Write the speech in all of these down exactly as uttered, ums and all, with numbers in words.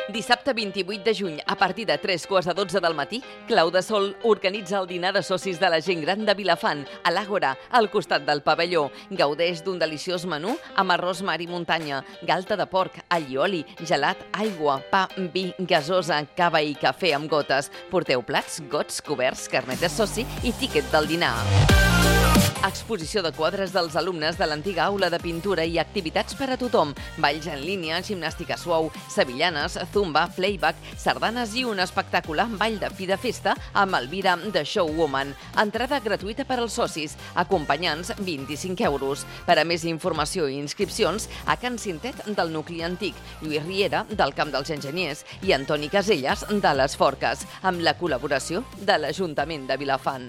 Dissabte vint-i-vuit de juny, a partir de tres quarts de dotze del matí, Clau de Sol organitza el dinar de socis de la gent gran de Vilafant, a l'Àgora, al costat del pavelló. Gaudeix d'un deliciós menú amb arròs mar i muntanya, galta de porc, allioli, gelat, aigua, pa, vi, gasosa, cava i cafè amb gotes. Porteu plats, gots, coberts, carnet de soci i tíquet del dinar. Exposició de quadres dels alumnes de l'antiga aula de pintura i activitats per a tothom. Balls en línia, gimnàstica suau, sevillanes, zumba, playback, sardanes i un espectacular ball de fi de festa amb Elvira de Showwoman. Entrada gratuïta per als socis, acompanyants vint-i-cinc euros. Per a més informació i inscripcions, a Can Cintet del Nucli Antic, Lluís Riera del Camp dels Enginyers i Antoni Caselles de les Forques, amb la col·laboració de l'Ajuntament de Vilafant.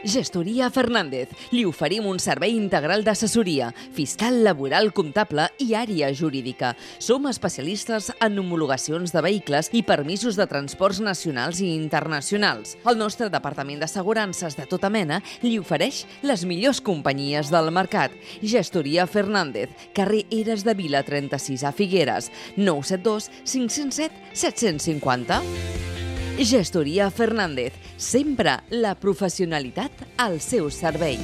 Gestoria Fernández. Li oferim un servei integral d'assessoria, fiscal, laboral, comptable i àrea jurídica. Som especialistes en homologacions de vehicles i permisos de transports nacionals i internacionals. El nostre departament d'assegurances de tota mena li ofereix les millors companyies del mercat. Gestoria Fernández, carrer Eres de Vila trenta-sis a Figueres, nou set dos cinc zero set set cinquanta. Gestoria Fernández, sempre la professionalitat al seu servei.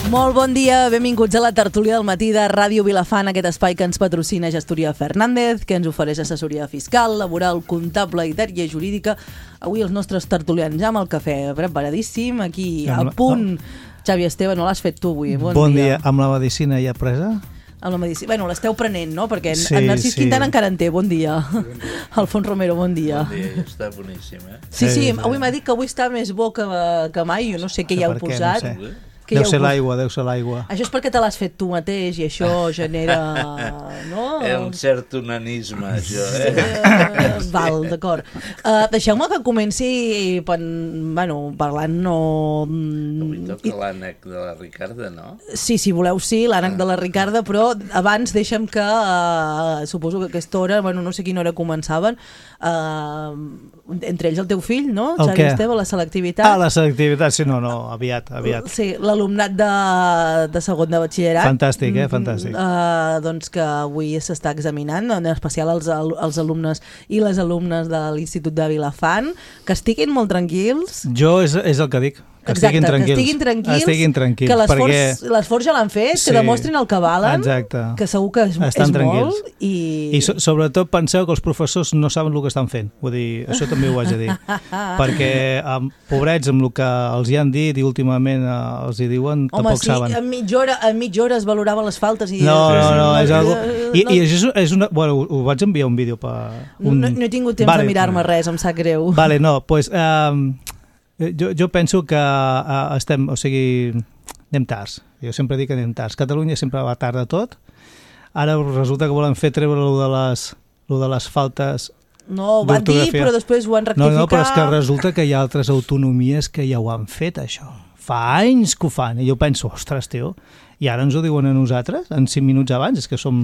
Molt bon dia, benvinguts a la tertúlia del matí de Ràdio Vilafant, aquest espai que ens patrocina Gestoria Fernández, que ens ofereix assessoria fiscal, laboral, comptable i d'àrea jurídica. Avui els nostres tertulians ja amb el cafè preparadíssim, aquí a punt. Xavi Esteve, no l'has fet tu avui, bon, bon dia. dia. Amb la medicina ja presa? Amb la medicina, bueno, l'esteu prenent, no? Perquè sí, en Narcís sí. Quintana encara en té, bon dia. Bon dia. Alfons Romero, bon dia. Bon dia, està boníssim, eh? Sí, sí, avui m'ha dit que avui està més bo que, que mai, jo no sé què hi heu posat. No sé. Deu ser l'aigua, deu ser l'aigua. Això és perquè te l'has fet tu mateix i això genera... no? Un cert onanisme, això, eh? eh val, d'acord. Uh, Deixeu-me que comenci pen, bueno, parlant... No... Avui toca l'ànec de la Ricarda, no? Sí, si voleu, sí, l'ànec de la Ricarda, però abans deixa'm que, uh, suposo que a aquesta hora, bueno, no sé quina hora començaven, uh, entre ells el teu fill, no? El Xavi què? Esteve, la selectivitat. Ah, la selectivitat, sí, no, no, aviat, aviat. Sí, l'alumnat de, de segon de batxillerat. Fantàstic, eh? Fantàstic. Uh, doncs que avui s'està examinant, en especial els, els alumnes i les alumnes de l'Institut de Vilafant, que estiguin molt tranquils. Jo és, és el que dic. Que Exacte, estiguin tranquils. que estiguin tranquils, estiguin tranquils que l'esforç perquè... l'esforç ja l'han fet, Sí, que demostrin el que valen, exacte. que segur que és, Estan és tranquils. molt. I, I so, sobretot penseu que els professors no saben el que estan fent. Vull dir, això també ho haig de dir. Perquè, um, pobrets, amb el que els hi han dit i últimament uh, els hi diuen, home, tampoc sí, saben. en mitja hora, en mitja hora es valoraven les faltes i... No, no, no, és no, algo... I, no, i és, és una... Bueno, ho vaig enviar un vídeo per... Un... No, no he tingut temps vale. de mirar-me res, em sap greu. Vale, no, doncs... Pues, um, jo, jo penso que uh, estem... O sigui, anem tards. Jo sempre dic que anem tards. Catalunya sempre va tard de tot. Ara resulta que volen fer treure lo de les, lo de les faltes... No, ho van dir, però després ho han rectificat. No, no, però és que resulta que hi ha altres autonomies que ja ho han fet, això. Fa anys que ho fan. I jo penso, ostres, tio, i ara ens ho diuen a nosaltres, en cinc minuts abans, és que som...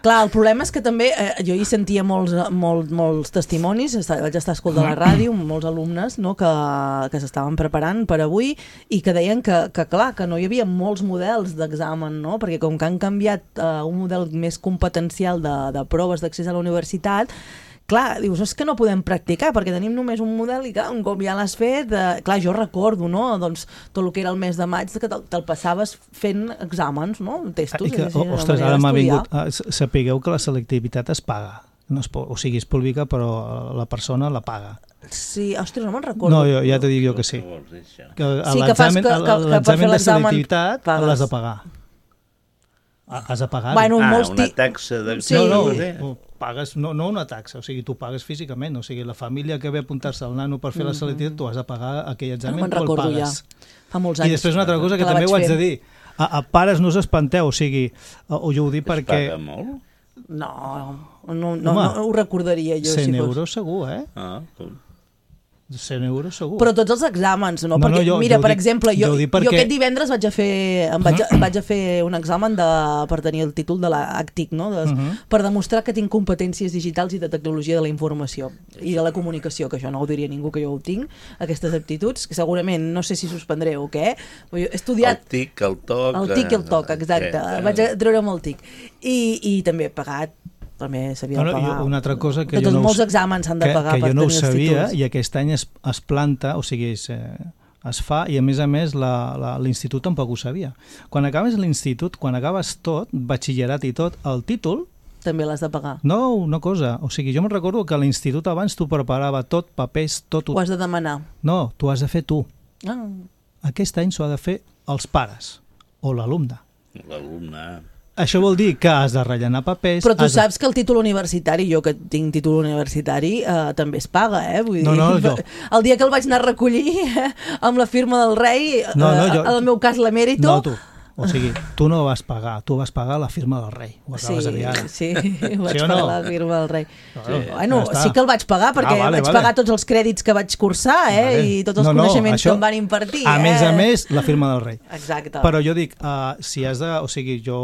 Clar, el problema és que també, eh, jo hi sentia molts, molts, molts testimonis, vaig estar escoltant la ràdio, molts alumnes, no, que, que s'estaven preparant per avui i que deien que, que clar, que no hi havia molts models d'examen, no? Perquè com que han canviat eh, un model més competencial de, de proves d'accés a la universitat, clar, dius, és que no podem practicar perquè tenim només un model i clar, un cop ja l'has fet, eh, clar, jo recordo, no? Doncs tot el que era el mes de maig que te'l, te'l passaves fent exàmens, no? Testos. I que, és a dir, ostres, ara m'ha vingut... Sapigueu que la selectivitat es paga. No es, o sigui, és pública, però la persona la paga. Sí, ostres, no me'n recordo. No, jo, ja t'ho dic jo que sí. Que a sí, que fas que, que, que per fer l'examen de l'examen selectivitat l'has de pagar. Has de pagar. Bueno, ah, molts una taxa de... Sí. No, no, pagues, no, no una taxa, o sigui, tu pagues físicament, o sigui, la família que ve a apuntar-se al nano per fer la selectivitat, tu has de pagar aquell examen, no tu el pagues. Ja. Fa molts anys. I després una altra cosa que, que també ho haig de dir, a, a pares no us espanteu, o sigui, o jo ho dic perquè... Es paga molt? No, no, no, no ho recordaria jo. cent si euros fos. segur, eh? Ah, com... cent euros segur. Però tots els exàmens, no? No, Perquè, no, jo- mira, jo ho per dic- exemple, jo, jo ho dic jo perquè- aquest divendres vaig a fer, em vaig, a, vaig a fer un examen de, per tenir el títol de la A C T I C, no? De, Mhm. per demostrar que tinc competències digitals i de tecnologia de la informació i de la comunicació, que això no ho diria ningú que jo ho tinc, aquestes aptituds, que segurament no sé si suspendré o què, però jo he estudiat... El tic, el toc... El tic i el toc, exacte. eh, Vaig a treure'm el tic. I, i també he pagat, també s'havia No, de no, pagar. jo, una altra cosa que Tots, jo no ho molts s- exàmens s'han de que, pagar que per jo no ho tenir els sabia títols. i aquest any es, es planta, o sigui, es, eh, es fa i a més a més la- la- l'institut tampoc ho sabia. Quan acabes l'institut, quan acabes tot, batxillerat i tot, el títol, També l'has de pagar. no una cosa, o sigui, jo me'n recordo que a l'institut abans tu preparava tot, papers, tot... Ho has de demanar. No, tu has de fer tu. Ah. Aquest any s'ho ha de fer els pares o l'alumne. L'alumne... Això vol dir que has de rellenar papers... Però tu has de- saps que el títol universitari, jo que tinc títol universitari, eh, també es paga, eh? Vull dir, No, no, jo- el dia que el vaig anar a recollir eh, amb la firma del rei, No, no, eh, jo- en el meu cas l'emèrito... No, tu. O sigui, tu no vas pagar, tu vas pagar la firma del rei. Ho acabes Sí, de dir ara. sí, vaig Sí o pagar no? la firma del rei. Sí, Bueno, ja està. sí que el vaig pagar perquè Ah, vale, vaig vale. pagar tots els crèdits que vaig cursar eh? Vale. i tots els No, no, coneixements això- que em van impartir. A eh? més a més, la firma del rei. Exacte. Però jo dic, uh, si has de... O sigui, jo,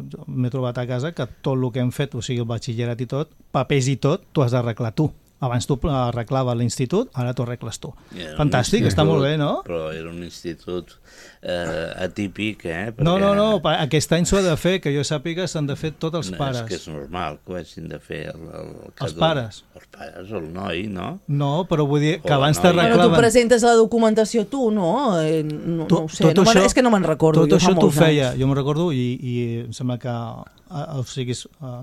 jo m'he trobat a casa que tot el que hem fet, o sigui, el batxillerat i tot, papers i tot, tu has d'arreglar tu. Abans tu arreglaves l'institut, ara t'ho arregles tu. Era un Fantàstic, institut, està molt bé, no? Però era un institut eh, atípic, eh? No, perquè- no, no, pa- aquest any s'ho ha de fer, que jo sàpiga s'han de fer tots els No, pares. És que és normal que ho hagin de fer el, el, Els pares. Els pares, el noi, no? No, però vull dir que O abans no, Bueno, tu t'arreglaven... presentes la documentació tu, no? Eh, no, Tu- no ho sé, tot no me'n- això- és que no me'n recordo. Tot jo fa això t'ho molts feia, anys. jo me'n recordo, i, i em sembla que eh, o sigui, eh,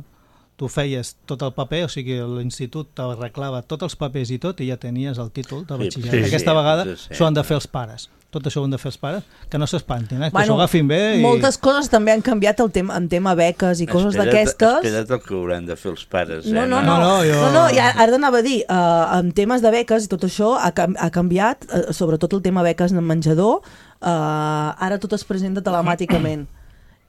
tu feies tot el paper, o sigui, l'institut t'arreglava tots els papers i tot, i ja tenies el títol de Sí, batxillerat. sí, Aquesta sí, vegada sí, sí. s'ho han de fer els pares. Tot això ho han de fer els pares, que no s'espantin, eh? que Bueno, s'ho agafin bé. I... Moltes coses també han canviat el tema, en tema beques i coses Espera't- d'aquestes. Espera't el que hauran de fer els pares, No, eh? no, no, No, no, jo- no, no i ara t'anava a dir, uh, en temes de beques i tot això ha, cam- ha canviat, uh, sobretot el tema beques en menjador, uh, ara tot es presenta telemàticament.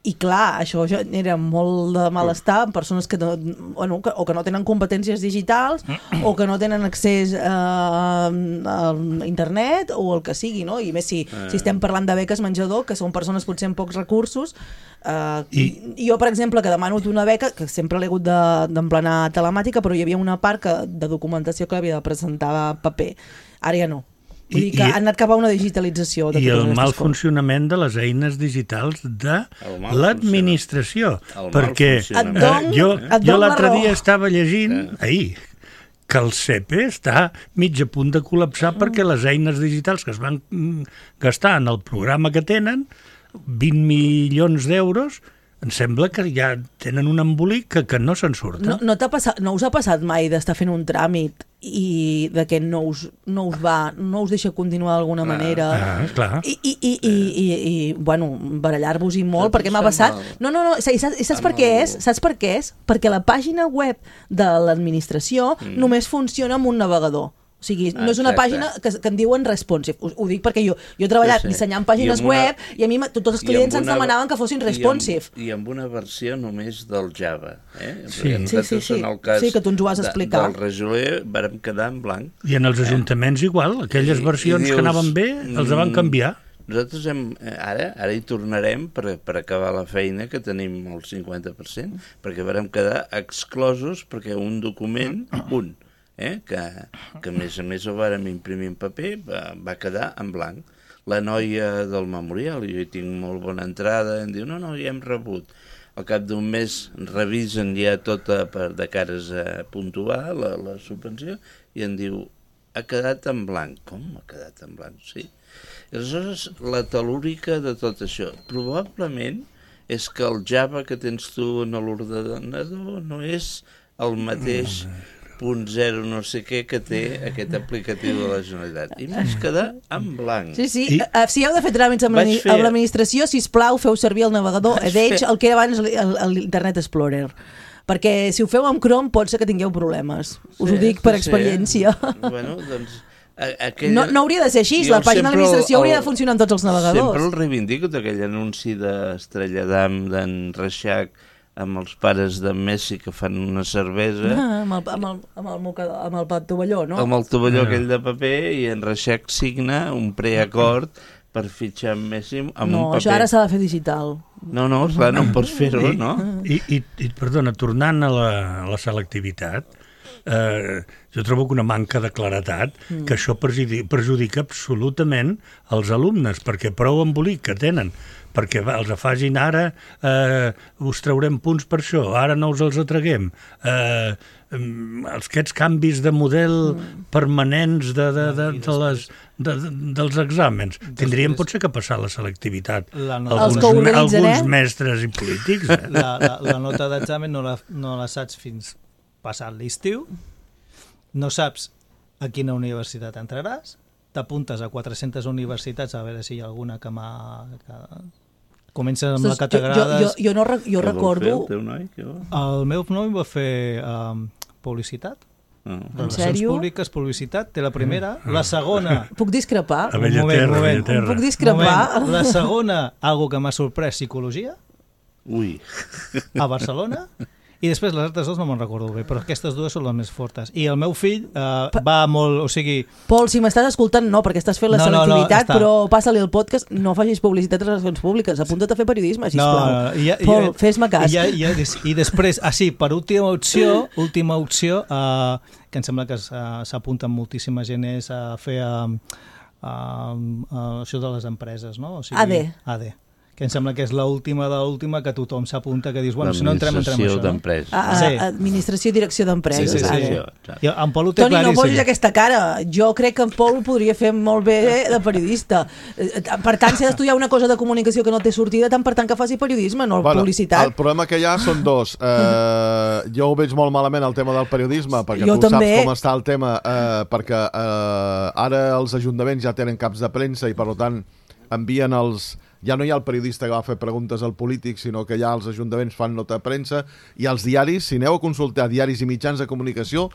I clar, això genera molt de malestar en persones que no, bueno, que, o que no tenen competències digitals o que no tenen accés eh, a internet o el que sigui, no? I més si, si estem parlant de beques menjador, que són persones potser amb pocs recursos. Eh, I... I jo, per exemple, que demano una beca, que sempre l'he hagut de- d'emplenar telemàtica, però hi havia una part que, de documentació que l'havia de presentar paper. Ara ja no. Vull I- dir que i- ha anat cap a una digitalització de I totes el aquestes mal coses. funcionament de les eines digitals de El mal l'administració. El mal Perquè funcionament. Et don- jo, et jo don la l'altre raó. dia estava llegint, ahir, que el C E P E està mig a punt de col·lapsar perquè les eines digitals que es van mm, gastar en el programa que tenen, vint milions d'euros, em sembla que ja tenen un embolic que, que no se'n surten. No, no, t'ha passat, no us ha passat mai d'estar fent un tràmit i de que no us, no us va, no us deixa continuar d'alguna manera Ah, clar. i, i, i, i, i, i bueno, barallar-vos-hi molt, Tot perquè m'ha això passat amb el- no, no, no, i saps, i saps per amb què el- és? Saps per què és? Perquè la pàgina web de l'administració mm. només funciona amb un navegador. O sigui, no és una Exacte. pàgina que, que en diuen responsive. Ho, ho dic perquè jo, jo he treballat Sí, sí. dissenyant pàgines I amb una- web i a mi ma- tots els I clients amb ens una- demanaven que fossin i amb- responsive. I amb una versió només del Java. Eh? Sí. Perquè nosaltres, Sí, sí, sí. en el cas Sí, que tu ens ho vas de- explicar. del Rejoler vàrem quedar en blanc. I en els ajuntaments igual, aquelles I- versions i dius, que anaven bé, els van mm, canviar. Nosaltres hem, eh, ara, ara hi tornarem per, per acabar la feina, que tenim el cinquanta per cent, perquè vàrem quedar exclosos perquè un document, un, eh, que, que a més a més ho vàrem imprimir en paper, va, va quedar en blanc. La noia del memorial, jo hi tinc molt bona entrada, em diu, no, no, ja hem rebut. Al cap d'un mes revisen ja tota per, de cares a puntuar la, la subvenció i em diu, ha quedat en blanc. Com ha quedat en blanc? Sí. I aleshores, la telúrica de tot això, probablement és que el Java que tens tu en l'ordenador no és el mateix punt zero no sé què que té aquest aplicatiu de la Generalitat. I m'has quedar en blanc. Sí, sí. I- I... Si heu de fer tràmits amb Vaig l'admi- fer- amb l'administració, sisplau, feu servir el navegador Vaig Edge, fer- el que era abans l- el- el- l'Internet Explorer. Perquè si ho feu amb Chrome pot ser que tingueu problemes. Us ho Sí, dic per sí. experiència. Bueno, doncs... a- Aquella... No, no hauria de ser així, Jo la pàgina de sempre l'administració el- hauria de funcionar en tots els navegadors. Sempre el reivindico, aquell anunci d'Estrella d'Am, d'en Reixac, amb els pares de Messi que fan una cervesa... Ah, amb, el, amb, el, amb, el, moca- amb el tovalló, no? Amb el tovalló Ah. aquell de paper, i en Reixac signa un preacord per fitxar amb Messi amb No, un paper. això ara s'ha de fer digital. No, no, clar, no pots fer-ho, no? I, i, i, perdona, tornant a la, a la selectivitat, eh, jo trobo que una manca de claretat, mm. que això perjudica, perjudica absolutament els alumnes, perquè prou embolic que tenen, perquè va, els afagin ara, eh, us traurem punts per això, ara no us els atraguem. Eh, els, aquests canvis de model mm. permanents de, de, de, de les, de, de, dels exàmens. Tindríem potser que passar la selectivitat. La nota, Els Alguns, que organitzen, alguns eh? mestres i polítics. Eh? la, la, la nota d'examen no, la, no la saps fins passat l'estiu, no saps a quina universitat entraràs, t'apuntes a quatre-centes universitats a veure si hi ha alguna que m'ha... Que... Comences amb la Jo, categrades... jo, jo, no, re- jo Què vol recordo... fer el teu noi? Què vol? El meu noi va fer um, publicitat, No. relacions sèrio? públiques, publicitat, té la primera, la segona... Puc discrepar? A Bella Un moment, Terra, un moment. Bella Terra. Puc discrepar? Moment, la segona, algo que m'ha sorprès, psicologia, Ui. a Barcelona, i després les altres dues no me'n recordo bé, però aquestes dues són les més fortes. I el meu fill eh, va molt... O sigui, Pol, si m'estàs escoltant, no, perquè estàs fent la No, no, no, selectivitat, està. però passa-li el podcast, no facis publicitat de relacions públiques, apunta't a fer periodisme, sisplau. no, no, i, ja- i, Pol, fes-me cas. I, ja- i, ja- I després, ah sí, per última opció, última opció, eh, que em sembla que s- eh, s'apunta moltíssima gent, és a fer eh, eh, eh, això de les empreses, no? O sigui, A D. A D. Que em sembla que és l'última de l'última que tothom s'apunta, que dius, bueno, si no entrem, entrem L'administració això, no? d'empreses. A, a, Sí. Administració i direcció d'empreses. Sí, sí, sí. ara. Administració, I en Pol ho té Toni, no claríssim. posis aquesta cara. Jo crec que en Pol ho podria fer molt bé de periodista. Eh, Per tant, si ha d'estudiar una cosa de comunicació que no té sortida, tant per tant que faci periodisme, no publicitat. El problema que hi ha són dos. Eh, jo ho veig molt malament el tema del periodisme, perquè Jo tu també. saps com està el tema, eh, perquè eh, ara els ajuntaments ja tenen caps de premsa i per tant envien els... Ja no hi ha el periodista que va fer preguntes al polític, sinó que ja els ajuntaments fan nota de premsa, i els diaris, si aneu a consultar diaris i mitjans de comunicació,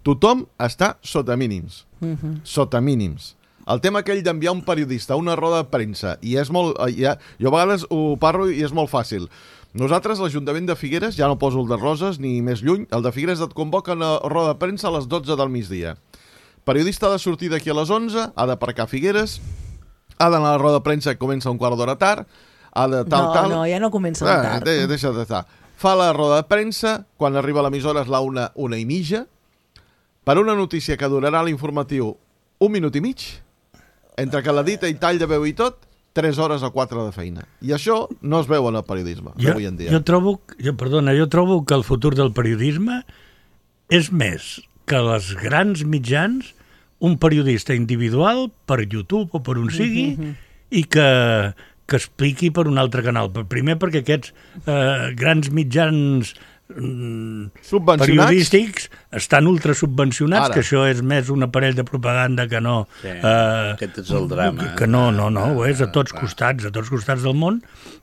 tothom està sota mínims. Mhm. Sota mínims. El tema aquell d'enviar un periodista a una roda de premsa, i és molt... Ja, jo a vegades ho parlo i és molt fàcil. Nosaltres, l'Ajuntament de Figueres, ja no poso el de Roses ni més lluny, el de Figueres et convoca a una roda de premsa a les dotze del migdia. Periodista ha de sortir d'aquí a les onze, ha d'aparcar a Figueres, ha d'anar a la roda de premsa que comença un quart d'hora tard, ha de tal, No, tal... no, ja no comença Ah, tard. de, deixa d'estar. Fa la roda de premsa, quan arriba a l'emissora és la una, una i mitja, per una notícia que durarà l'informatiu un minut i mig, entre que l'edita i tall de veu i tot, tres hores o quatre de feina. I això no es veu en el periodisme, Jo, avui en dia. jo trobo, jo, perdona, jo trobo que el futur del periodisme és més que les grans mitjans, un periodista individual per YouTube o per on sigui, mm -hmm. i que, que expliqui per un altre canal. Primer perquè aquests eh, grans mitjans mm, Subvencionats? periodístics estan ultrasubvencionats, Ara. que això és més un aparell de propaganda que no... Sí, eh, aquest és el drama. Que, que no, no, no, ho és a tots costats, a tots costats del món,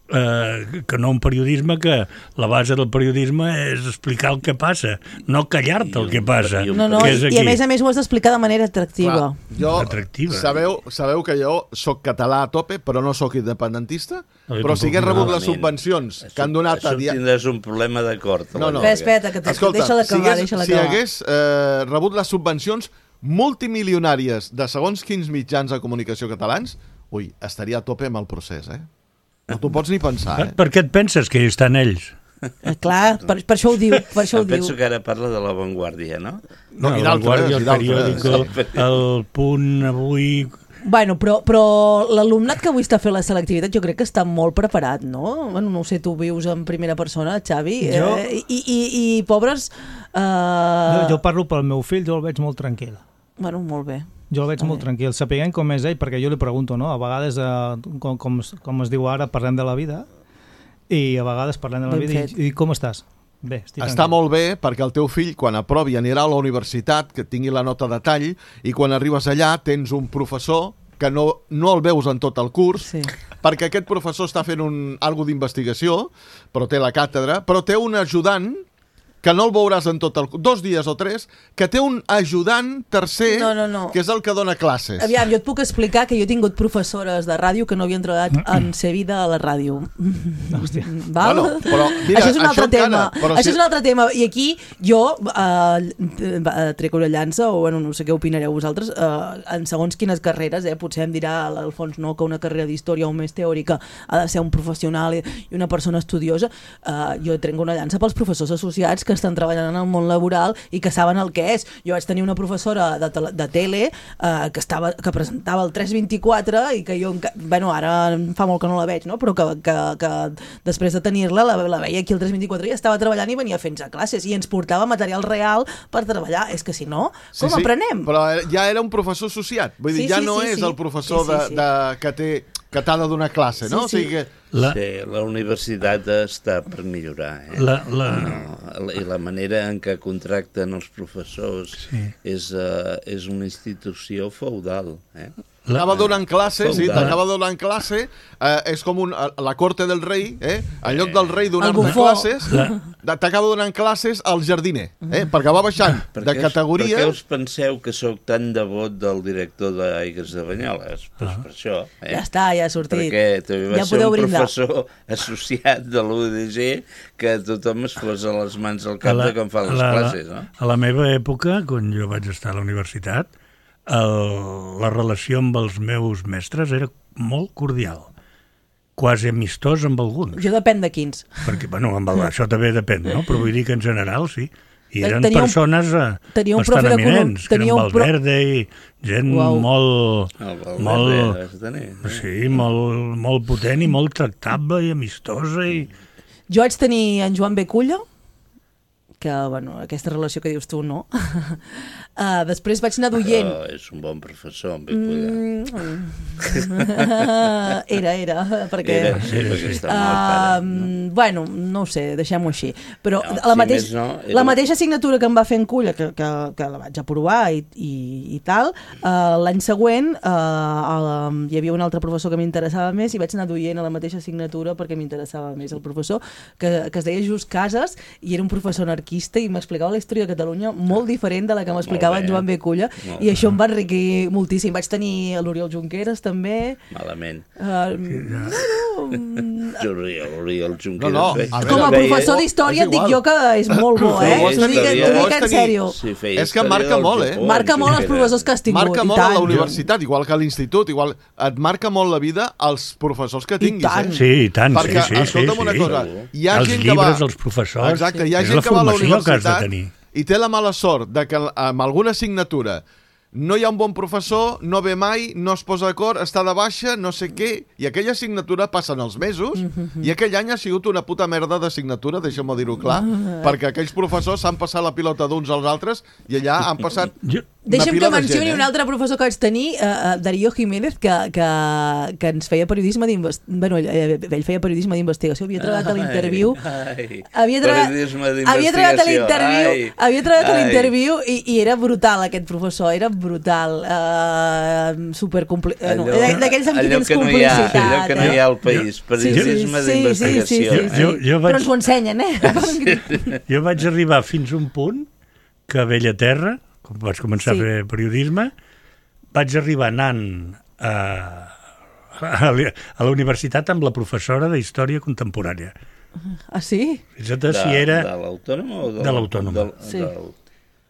eh, que no un periodisme que la base del periodisme és explicar el que passa, no callar-te el que passa. i un- No, no, que és i, aquí. i a més a més ho has d'explicar de manera atractiva. Clar, jo, Atractiva. sabeu, sabeu que jo sóc català a tope, però no sóc independentista, No, jo però si tampoc hagués no. rebut les Malament. subvencions que han donat Això a... dia- tindràs un problema d'acord. No, no. Espera, espera, que te, Escolta, deixa-la si acabar, hagués, deixa-la si acabar. hagués eh, rebut les subvencions multimilionàries de segons quins mitjans de comunicació catalans, ui, estaria a tope amb el procés, eh? No t'ho pots ni pensar, Per, eh? per què et penses que hi estan ells? Eh, clar, per, per això ho diu, per això ho Em diu. penso que ara parla de l'avantguàrdia, no? No, i el d'altres, Vanguardia, i el d'altres, periòdico, sí. el Punt, avui... Bueno, però, però l'alumnat que avui està fent la selectivitat jo crec que està molt preparat, no? Bueno, no ho sé, tu vius en primera persona, Xavi, Jo- eh, i, i, i pobres... Eh, Jo, jo parlo pel meu fill, jo el veig molt tranquil. Bueno, molt bé. Jo el veig Està molt bé. tranquil, sapiguem com és ell, perquè jo li pregunto, no? A vegades, eh, com, com, es- com es diu ara, parlem de la vida, i a vegades parlem de la Ben vida, fet. i, i com estàs? Bé, estic Està tranquil. molt bé perquè el teu fill, quan aprovi, anirà a la universitat, que tingui la nota de tall, i quan arribes allà tens un professor que no, no el veus en tot el curs, Sí. perquè aquest professor està fent un, algo d'investigació, però té la càtedra, però té un ajudant que no el veuràs en tot el... dos dies o tres, que té un ajudant tercer, no, no, no. que és el que dona classes. Aviam, jo et puc explicar que jo he tingut professores de ràdio que no havien treballat en ser vida a la ràdio. Val? Bueno, però, mira, això és un altre això tema. encara, però això si... és un altre tema. I aquí jo eh, trec una llança, o bueno, no sé què opinareu vosaltres, eh, en segons quines carreres, eh, potser em dirà l'Alfons no, que una carrera d'història o més teòrica ha de ser un professional i una persona estudiosa. Eh, jo trenco una llança pels professors associats que estan treballant en el món laboral i que saben el que és. Jo vaig tenir una professora de, tele, de tele eh, que, estava, que presentava el tres vint-i-quatre i que jo, bueno, ara fa molt que no la veig, no? Però que, que, que després de tenir-la la, la veia aquí el tres vint-i-quatre i estava treballant i venia fent a classes i ens portava material real per treballar. És que si no, com sí, sí, aprenem? Però ja era un professor associat. Vull dir, Sí, ja sí, no sí, és sí. el professor Sí, sí, sí. De, de, que té que t'ha de donar classe, no? Sí, sí. O sigui que... La, Sí, la universitat està per millorar, eh? la, la, No, I la manera en què contracten els professors Sí. és, uh, és una institució feudal, eh? la, T'acaba donant classe, sí, Feudal. t'acaba donant classe, eh, és com un, la corte del rei, eh? En lloc del rei El donar-te bufó. classes, t'acaba donant classes al jardiner, eh? Perquè va baixant Per de què us- categoria... Per què us penseu que sóc tan devot del director d'Aigües de Banyoles? Pues Ah. per això, eh? Ja està, ja ha sortit. Perquè també va Ja ser podeu un brindar. professor associat de l'U D G que tothom es posa les mans al cap de com fa les a la, classes, no? A la meva època, quan jo vaig estar a la universitat, el, la relació amb els meus mestres era molt cordial, quasi amistós amb alguns. Jo depèn de quins. Perquè, bueno, amb el, això també depèn, no? Però vull dir que en general sí. I eren Tenia un- persones eh, tenia un bastant profe d'econom- eminents, que tenia eren un pro- Valverde i gent Uau. molt, El Valverde molt, vas tenir, eh? sí, molt, molt potent i molt tractable i amistosa i... Jo vaig tenir en Joan Beculla, que, bueno, aquesta relació que dius tu, no. uh, després vaig anar d'oient. Però és un bon professor, en Beculla. Mm. era, era, perquè... Era, sí, perquè està mort ara, Uh, no? bueno, no ho sé, deixem-ho així. Però No, la, si mateix, més no, era- la mateixa assignatura que em va fer en Culla, que, que, que la vaig aprovar i, i, i tal, uh, l'any següent uh, hi havia un altre professor que m'interessava més i vaig anar d'oient a la mateixa assignatura perquè m'interessava més el professor, que, que es deia Just Casas i era un professor anarquista i m'explicava la història de Catalunya molt diferent de la que m'explicava en bé. Joan Beculla Molt i bé. això em va enriquir moltíssim. Vaig tenir l'Oriol Junqueras també. Malament. Uh, no, no, L'Oriol, l'Oriol Junqueras. No, no, feia- a veure, com a feia- professor és d'història et dic igual. jo que és molt bo, eh? Feia T'ho dic, història. t'ho dic en Vols sèrio. Sí, feia És que història marca del molt, eh? Japó, Marca el molt els Junqueras. professors que has tingut. Marca i molt a tant. la universitat, igual que a l'institut, igual et marca molt la vida als professors que I tinguis, tant. eh? Sí, i tant, Perquè, sí, sí, escolta'm sí, una sí. cosa, hi ha els gent que va... llibres, els professors, Exacte, hi ha és gent la que va a la formació que has de universitat tenir. i té la mala sort de que amb alguna assignatura no hi ha un bon professor, no ve mai, no es posa d'acord, està de baixa, no sé què, i aquella assignatura passen els mesos, i aquell any ha sigut una puta merda d'assignatura, deixa'm dir-ho clar, perquè aquells professors s'han passat la pilota d'uns als altres i allà han passat Jo, una Deixa'm pila que de mencioni gent, eh? un altre professor que vaig tenir, uh, uh, Darío Jiménez, que, que, que ens feia periodisme d'investigació. Bueno, ell, ell feia periodisme d'investigació, havia treballat a l'interviu. Ai, Havia, treba... periodisme havia treballat a d'investigació. l'interviu Ai, havia treballat a ai. l'interviu i, i era brutal aquest professor, era brutal, uh, super compli... Allò- no, d'aquells amb qui allò tens que no hi ha, complicitat. allò que no hi eh? ha al país, periodisme d'investigació. Sí, sí, sí, sí. Jo- jo vaig- Però ens ho ensenyen, eh? jo vaig arribar fins a un punt que a Bellaterra, quan vaig començar Sí. a fer periodisme, vaig arribar anant a, a, la- a la universitat amb la professora d'Història Contemporània. Ah, sí? Fixa't si era... De l'autònoma o de, De l'autònoma. del- Sí. del-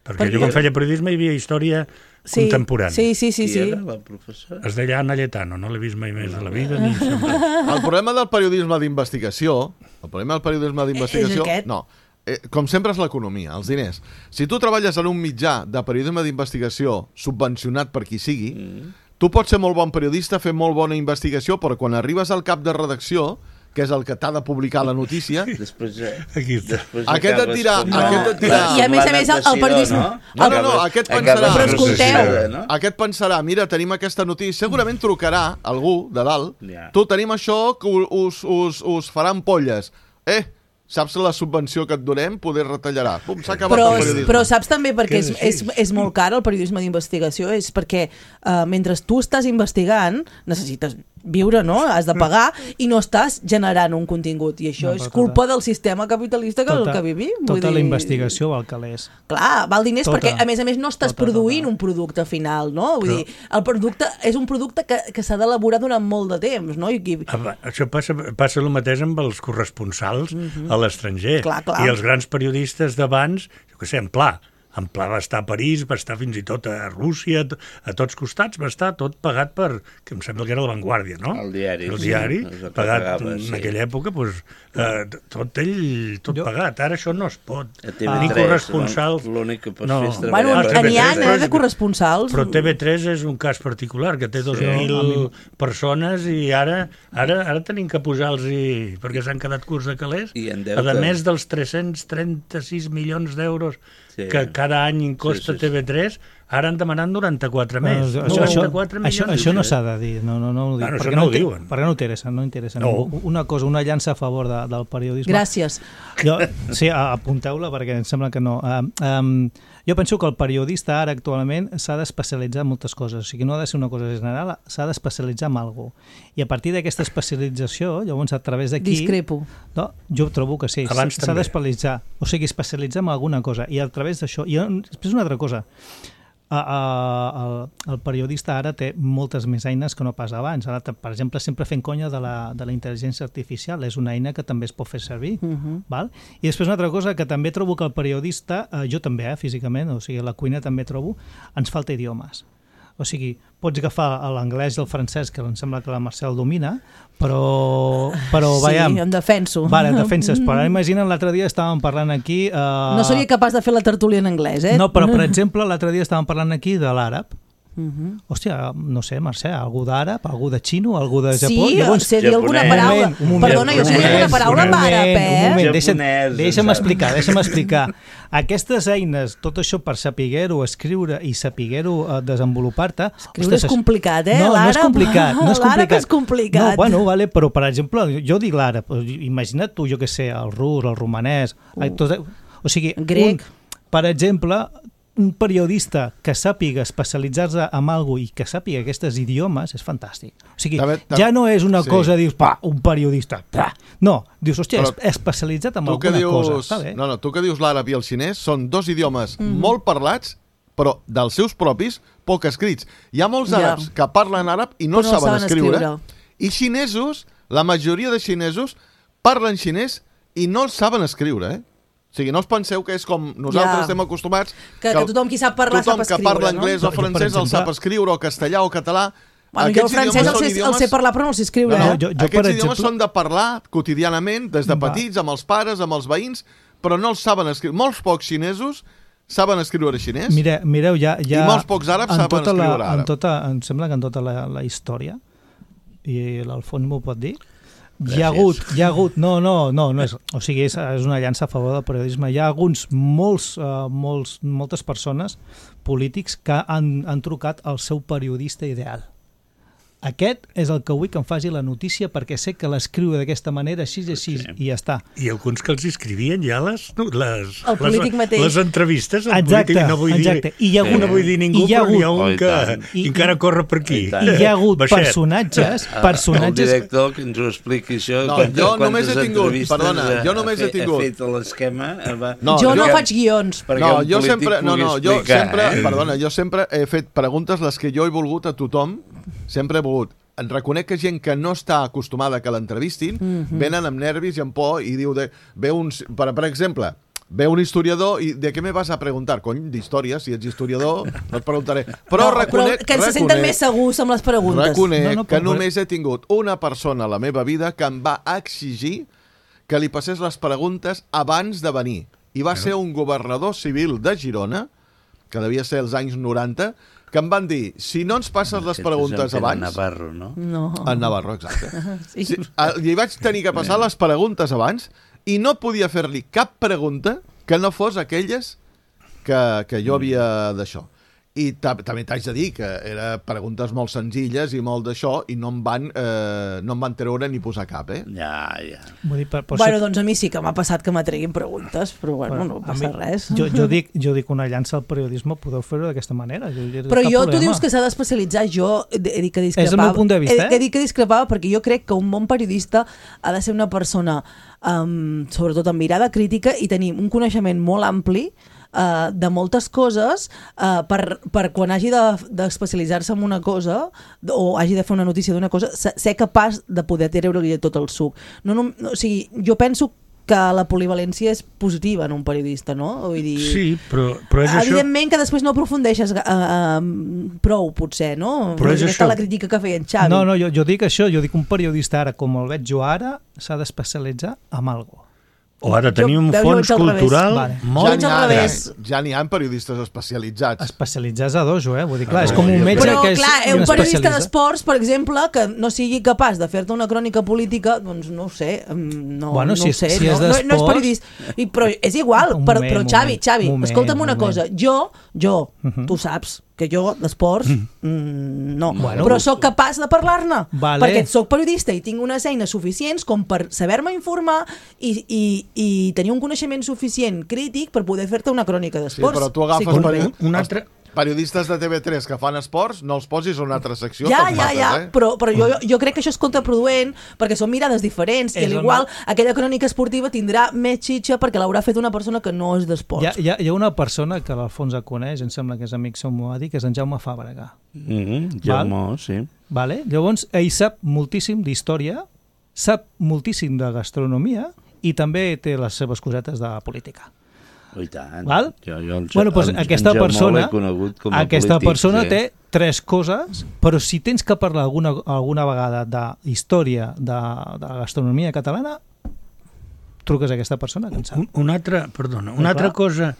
Perquè Perquè- jo quan feia periodisme hi havia història Sí, contemporània. sí, sí, sí, Qui sí. era la professora? Es deia Anna Lletano, no l'he vist mai més a la vida. Ni sempre. El problema del periodisme d'investigació, el problema del periodisme d'investigació, És aquest. no, eh, com sempre és l'economia, els diners. Si tu treballes en un mitjà de periodisme d'investigació subvencionat per qui sigui, Mm. tu pots ser molt bon periodista, fer molt bona investigació, però quan arribes al cap de redacció, que és el que t'ha de publicar la notícia, Després, eh, Aquí està. després Aquest et acabes dirà- com aquest la- et dirà- I a més a la més, el- el natació, periodisme- No, No, no, no, Acabes- aquest acabes pensarà- Però escolteu. processada, no? aquest pensarà, mira, tenim aquesta notícia, segurament trucarà algú de dalt, Ja. tu tenim això que us, us, us faran polles. Eh, saps la subvenció que et donem? Poder retallarà. Pum, s'ha acabat Però, el periodisme. però saps també perquè Que és, és és, així. és molt car el periodisme d'investigació, és perquè uh, mentre tu estàs investigant necessites viure, no? Has de pagar i no estàs generant un contingut. I això No, és tota- culpa del sistema capitalista que, tota, el que vivim. Vull tota dir... la investigació val calés. Clar, val diners Tota. perquè, a més a més, no estàs Tota, produint tota. un producte final, no? Vull Però- dir, el producte és un producte que, que s'ha d'elaborar durant molt de temps, no? I qui... Ah, això passa, passa el mateix amb els corresponsals uh-huh. a l'estranger. Clar, clar. I els grans periodistes d'abans, jo què sé, en Pla, en Pla va estar a París, va estar fins i tot a Rússia, a tots costats, va estar tot pagat per, que em sembla que era La Vanguardia, no? El diari, El sí, diari, és el que pagat pagava, en sí. aquella època, doncs, eh, tot ell, tot Jo- pagat. Ara això no es pot. A T V Tenir tres, corresponsals... l'únic que pots No. fer és Bueno, treballar. Ah, n'hi ha, T V tres, eh, de però- corresponsals. Però T V tres és un cas particular, que té dos mil persones i ara ara ara tenim que posar-los perquè s'han quedat curts de calés. I en deute. A més dels tres-cents trenta-sis milions d'euros Sí. que cada any costa Sí, sí, sí. T V tres, ara han demanat noranta-quatre més. Bueno, això, això, noranta-quatre això, milions. això no s'ha de dir, no, no, no ho dic, Bueno, això perquè no ho inter- diuen. perquè no interessa, no interessa. No. ningú. Una cosa, una llança a favor de, del periodisme. Gràcies. Jo, sí, a- apunteu-la perquè em sembla que no. Um, um, jo penso que el periodista ara actualment s'ha d'especialitzar en moltes coses, o sigui, no ha de ser una cosa general, s'ha d'especialitzar en alguna cosa. I a partir d'aquesta especialització, llavors a través d'aquí... Discrepo. No, jo trobo que sí, Abans s'ha també. d'especialitzar, o sigui, especialitzar en alguna cosa, i a través d'això... I després una altra cosa, a, a, el, el periodista ara té moltes més eines que no pas abans. Ara, per exemple, sempre fent conya de la, de la intel·ligència artificial, és una eina que també es pot fer servir. Uh -huh. Val? I després una altra cosa que també trobo que el periodista, eh, jo també, eh, físicament, o sigui, a la cuina també trobo, ens falta idiomes. O sigui, pots agafar l'anglès i el francès, que em sembla que la Mercè el domina, però, però Sí, veiem... em defenso. Vale, defenses, però ara imagina't, l'altre dia estàvem parlant aquí... Uh... No seria capaç de fer la tertúlia en anglès, eh? No, però per exemple, l'altre dia estàvem parlant aquí de l'àrab. Uh -huh. Hòstia, no sé, Mercè, algú d'àrab, algú de xino, algú de Japó... Sí, Llavors, sé dir alguna japonès. paraula. Un moment, un moment. Perdona, jo sé dir alguna paraula en un moment, àrab, un eh? moment, deixa'm, Japonès, deixa'm saps? explicar, deixa'm explicar. Aquestes eines, tot això per saber-ho escriure i saber-ho eh, desenvolupar-te... Escriure és complicat, eh? No, no és L'àrab- complicat, no és l'àrab complicat. és complicat. No, bueno, vale, però per exemple, jo dic l'àrab, imagina't tu, jo què sé, el rus, el romanès... Uh. Tot, o sigui, Grec. Un, per exemple, un periodista que sàpiga especialitzar-se en alguna i que sàpiga aquests idiomes és fantàstic. O sigui, També- tam- ja no és una sí. cosa, dius, pa, un periodista, pa. No, dius, hòstia, Però és especialitzat en Tu que alguna cosa. dius, Està bé. no, no, tu que dius l'àrab i el xinès són dos idiomes Mm. molt parlats, però dels seus propis, poc escrits. Hi ha molts Ja. àrabs que parlen àrab i no, Però no saben, saben escriure, escriure. i xinesos, la majoria de xinesos, parlen xinès i no el saben escriure, eh? O sigui, no us penseu que és com nosaltres Ja. estem acostumats... Que- que tothom qui sap parlar tothom sap que escriure, parla no? anglès Jo, o jo, per francès el exemple- sap escriure, o castellà o català. Bueno, jo el Aquests francès idiomes el són sé, el idiomes- sé parlar, però no el sé escriure. No, no, eh? jo- Aquests per idiomes exemple- són de parlar quotidianament, des de Va. petits, amb els pares, amb els veïns, però no els saben escriure. Molts pocs xinesos saben escriure xinès. Mire, mireu, ja, ja... I molts pocs àrabs en saben tota la, escriure àrab. En tota, em sembla que en tota la, la història, i l'Alfons m'ho pot dir, hi ha hagut, hi ha hagut, no, no, no, no és, o sigui, és, és una llança a favor del periodisme. Hi ha alguns, molts, uh, molts, moltes persones polítics que han, han trucat al seu periodista ideal. Aquest és el que vull que em faci la notícia perquè sé que l'escriu d'aquesta manera, així i així, Sí. i ja està. I alguns que els escrivien ja les, no, les, El polític les, mateix. les entrevistes al Exacte, polític. No vull exacte. dir, I hi ha hagut- no vull dir ningú, i hi ha però n'hi ha hagut- Oh, un i que tant. I- encara corre per aquí. I tant. I hi ha hagut Baixet. personatges, El personatges... director que ens ho expliqui això. No, quantes- jo només he quantes tingut, entrevistes perdona, ha- jo només ha he fet- tingut. Ha fet l'esquema. eh, va- No, Jo no perquè- faig guions. perquè No, un jo polític sempre, no, pugui no, jo explicar, sempre, eh? perdona, jo sempre he fet preguntes les que jo he volgut a tothom, sempre he volgut. En reconec que gent que no està acostumada que l'entrevistin, Mhm. venen amb nervis i amb por i diu, de, ve un, per, per exemple, ve un historiador i de què me vas a preguntar? Cony, d'història, si ets historiador, no et preguntaré. Però No, reconec, però que se senten reconec- més segurs amb les preguntes. Reconec No, no, que però- només he tingut una persona a la meva vida que em va exigir que li passés les preguntes abans de venir. I va ser un governador civil de Girona, que devia ser als anys noranta, que em van dir, si no ens passes les Aquest és preguntes en Pere abans... Navarro, no? No. En Navarro, exacte. Sí. Sí, a- li vaig tenir que passar les preguntes abans i no podia fer-li cap pregunta que no fos aquelles que, que jo havia d'això. I també t'haig de dir que eren preguntes molt senzilles i molt d'això, i no em van, eh, no em van treure ni posar cap, eh? Ja, ja. Vull dir, per, per Bueno, ser... doncs a mi sí que m'ha passat que m'atreguin preguntes, però bueno, Bueno, no a passa mi- res. Jo, jo, dic, jo dic una llança al periodisme, podeu fer-ho d'aquesta manera. Jo, jo, Però cap jo, tu problema. dius que s'ha d'especialitzar, jo he he dit que discrepava. És el meu punt de vista, he, eh? he dit que discrepava perquè jo crec que un bon periodista ha de ser una persona, um, sobretot amb mirada crítica, i tenir un coneixement molt ampli Uh, de moltes coses uh, per, per quan hagi d'especialitzar-se de, en una cosa o hagi de fer una notícia d'una cosa, ser capaç de poder treure-li tot el suc. No, no, no, o sigui, jo penso que la polivalència és positiva en un periodista, no? Vull dir, Sí, però, però és això... evidentment que després no aprofundeixes uh, uh, prou, potser, no? Però és Aquesta això. la crítica que feia en Xavi. No, no, jo, jo dic això, jo dic un periodista ara, com el veig jo ara, s'ha d'especialitzar en alguna cosa. O ha de tenir Jo- un veus, jo fons vaig al revés. cultural Vale. molt Jo vaig al gran. revés. Ja n'hi ha periodistes especialitzats. Especialitzar a dojo, eh? Vull dir, clar, Ah, és com un jo metge Però, que és clar, eh, un periodista especialitza. d'esports, per exemple, que no sigui capaç de fer-te una crònica política, doncs no ho sé, mm, no, Bueno, no si ho és- sé, si no, és no, no és d'esports- periodista. I, però és igual, Un però, moment, però Xavi, moment, Xavi, moment, escolta'm una moment. cosa, jo, jo, Mhm. tu saps que jo d'esports mm, no, Bueno, però sóc capaç de parlar-ne, Vale. perquè sóc periodista i tinc unes eines suficients com per saber-me informar i, i, i tenir un coneixement suficient crític per poder fer-te una crònica Sí, d'esports. però tu agafes Sí, peri... un- un els altre- periodistes de T V tres que fan esports, no els posis en una altra secció. Ja, te'ls ja, mates, ja, eh? però, però jo, jo crec que això és contraproduent perquè són mirades diferents i És al el igual ma- aquella crònica esportiva tindrà més xitxa perquè l'haurà fet una persona que no és Hi ha, d'esports. hi, ha, hi ha una persona que l'Alfons coneix, em sembla que és amic seu, m'ho va dir, que és en Jaume Fàbrega. Mm -hmm. Jaume, sí. Vale? Llavors, ell sap moltíssim d'història, sap moltíssim de gastronomia i també té les seves cosetes de política. Oh, i tant. Val? Jo, jo el, Bueno, doncs el- aquesta en Jaume persona, l'he conegut com a aquesta polític, persona sí. té tres coses, però si tens que parlar alguna, alguna vegada de història de, de la gastronomia catalana, truques a aquesta persona que en sap. Un, una altra, perdona, Ah, una altra clar. cosa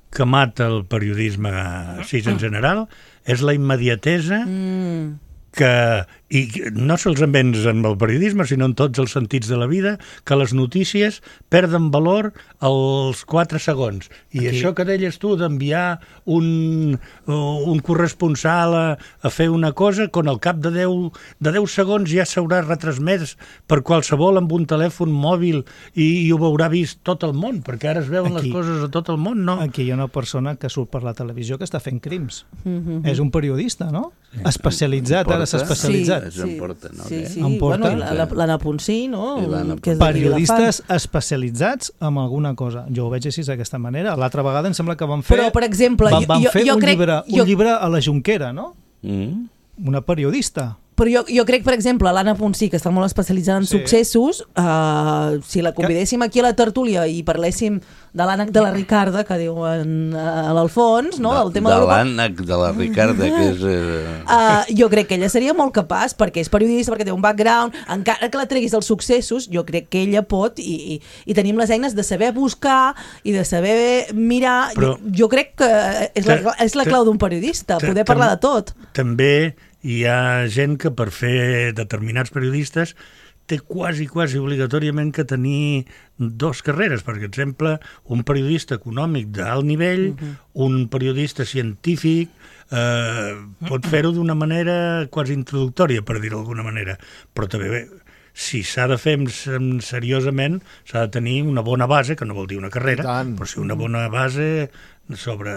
que mata el periodisme així en general és la immediatesa Mm. que, i no solament en el periodisme, sinó en tots els sentits de la vida, que les notícies perden valor als quatre segons. I Aquí. això que deies tu d'enviar un, un corresponsal a, a fer una cosa, quan al cap de deu, de deu segons ja s'haurà retransmès per qualsevol amb un telèfon mòbil i, i ho haurà vist tot el món, perquè ara es veuen Aquí. les coses a tot el món, no? Aquí hi ha una persona que surt per la televisió que està fent crims. Mhm. És un periodista, no? Especialitzat, ara s'ha Porta. especialitzat. Això em porta, no? Sí, Què? sí. Em porta. Bueno, i la- la- l'Anna Ponsí, no? I l'Anna Que és d'aquí de Periodistes Vilafant. especialitzats en alguna cosa. Jo ho veig així d'aquesta manera. L'altra vegada em sembla que van fer... Però, per exemple, van, jo- van jo- fer jo un, crec- llibre, jo- un llibre a la Junquera, no? Mm. Una periodista. Però jo, jo crec, per exemple, l'Anna Ponsí, que està molt especialitzada en Sí. successos, uh, si la convidéssim aquí a la tertúlia i parléssim de l'ànec de la Ricarda, que diuen uh, a l'Alfons, no? de, del tema de d'Europa, l'ànec de la Ricarda, que és... Eh... Uh, jo crec que ella seria molt capaç perquè és periodista, perquè té un background, encara que la treguis dels successos, jo crec que ella pot i, i, i tenim les eines de saber buscar i de saber mirar. Però- jo, jo crec que és la, és la clau d'un periodista, poder parlar de tot. També hi ha gent que per fer determinats periodistes té quasi, quasi obligatòriament que tenir dos carreres. Per exemple, un periodista econòmic d'alt nivell, uh-huh. un periodista científic, eh, pot fer-ho d'una manera quasi introductòria, per dir-ho d'alguna manera. Però també, bé, si s'ha de fer amb- seriosament, s'ha de tenir una bona base, que no vol dir una carrera, I tant. però sí una bona base sobre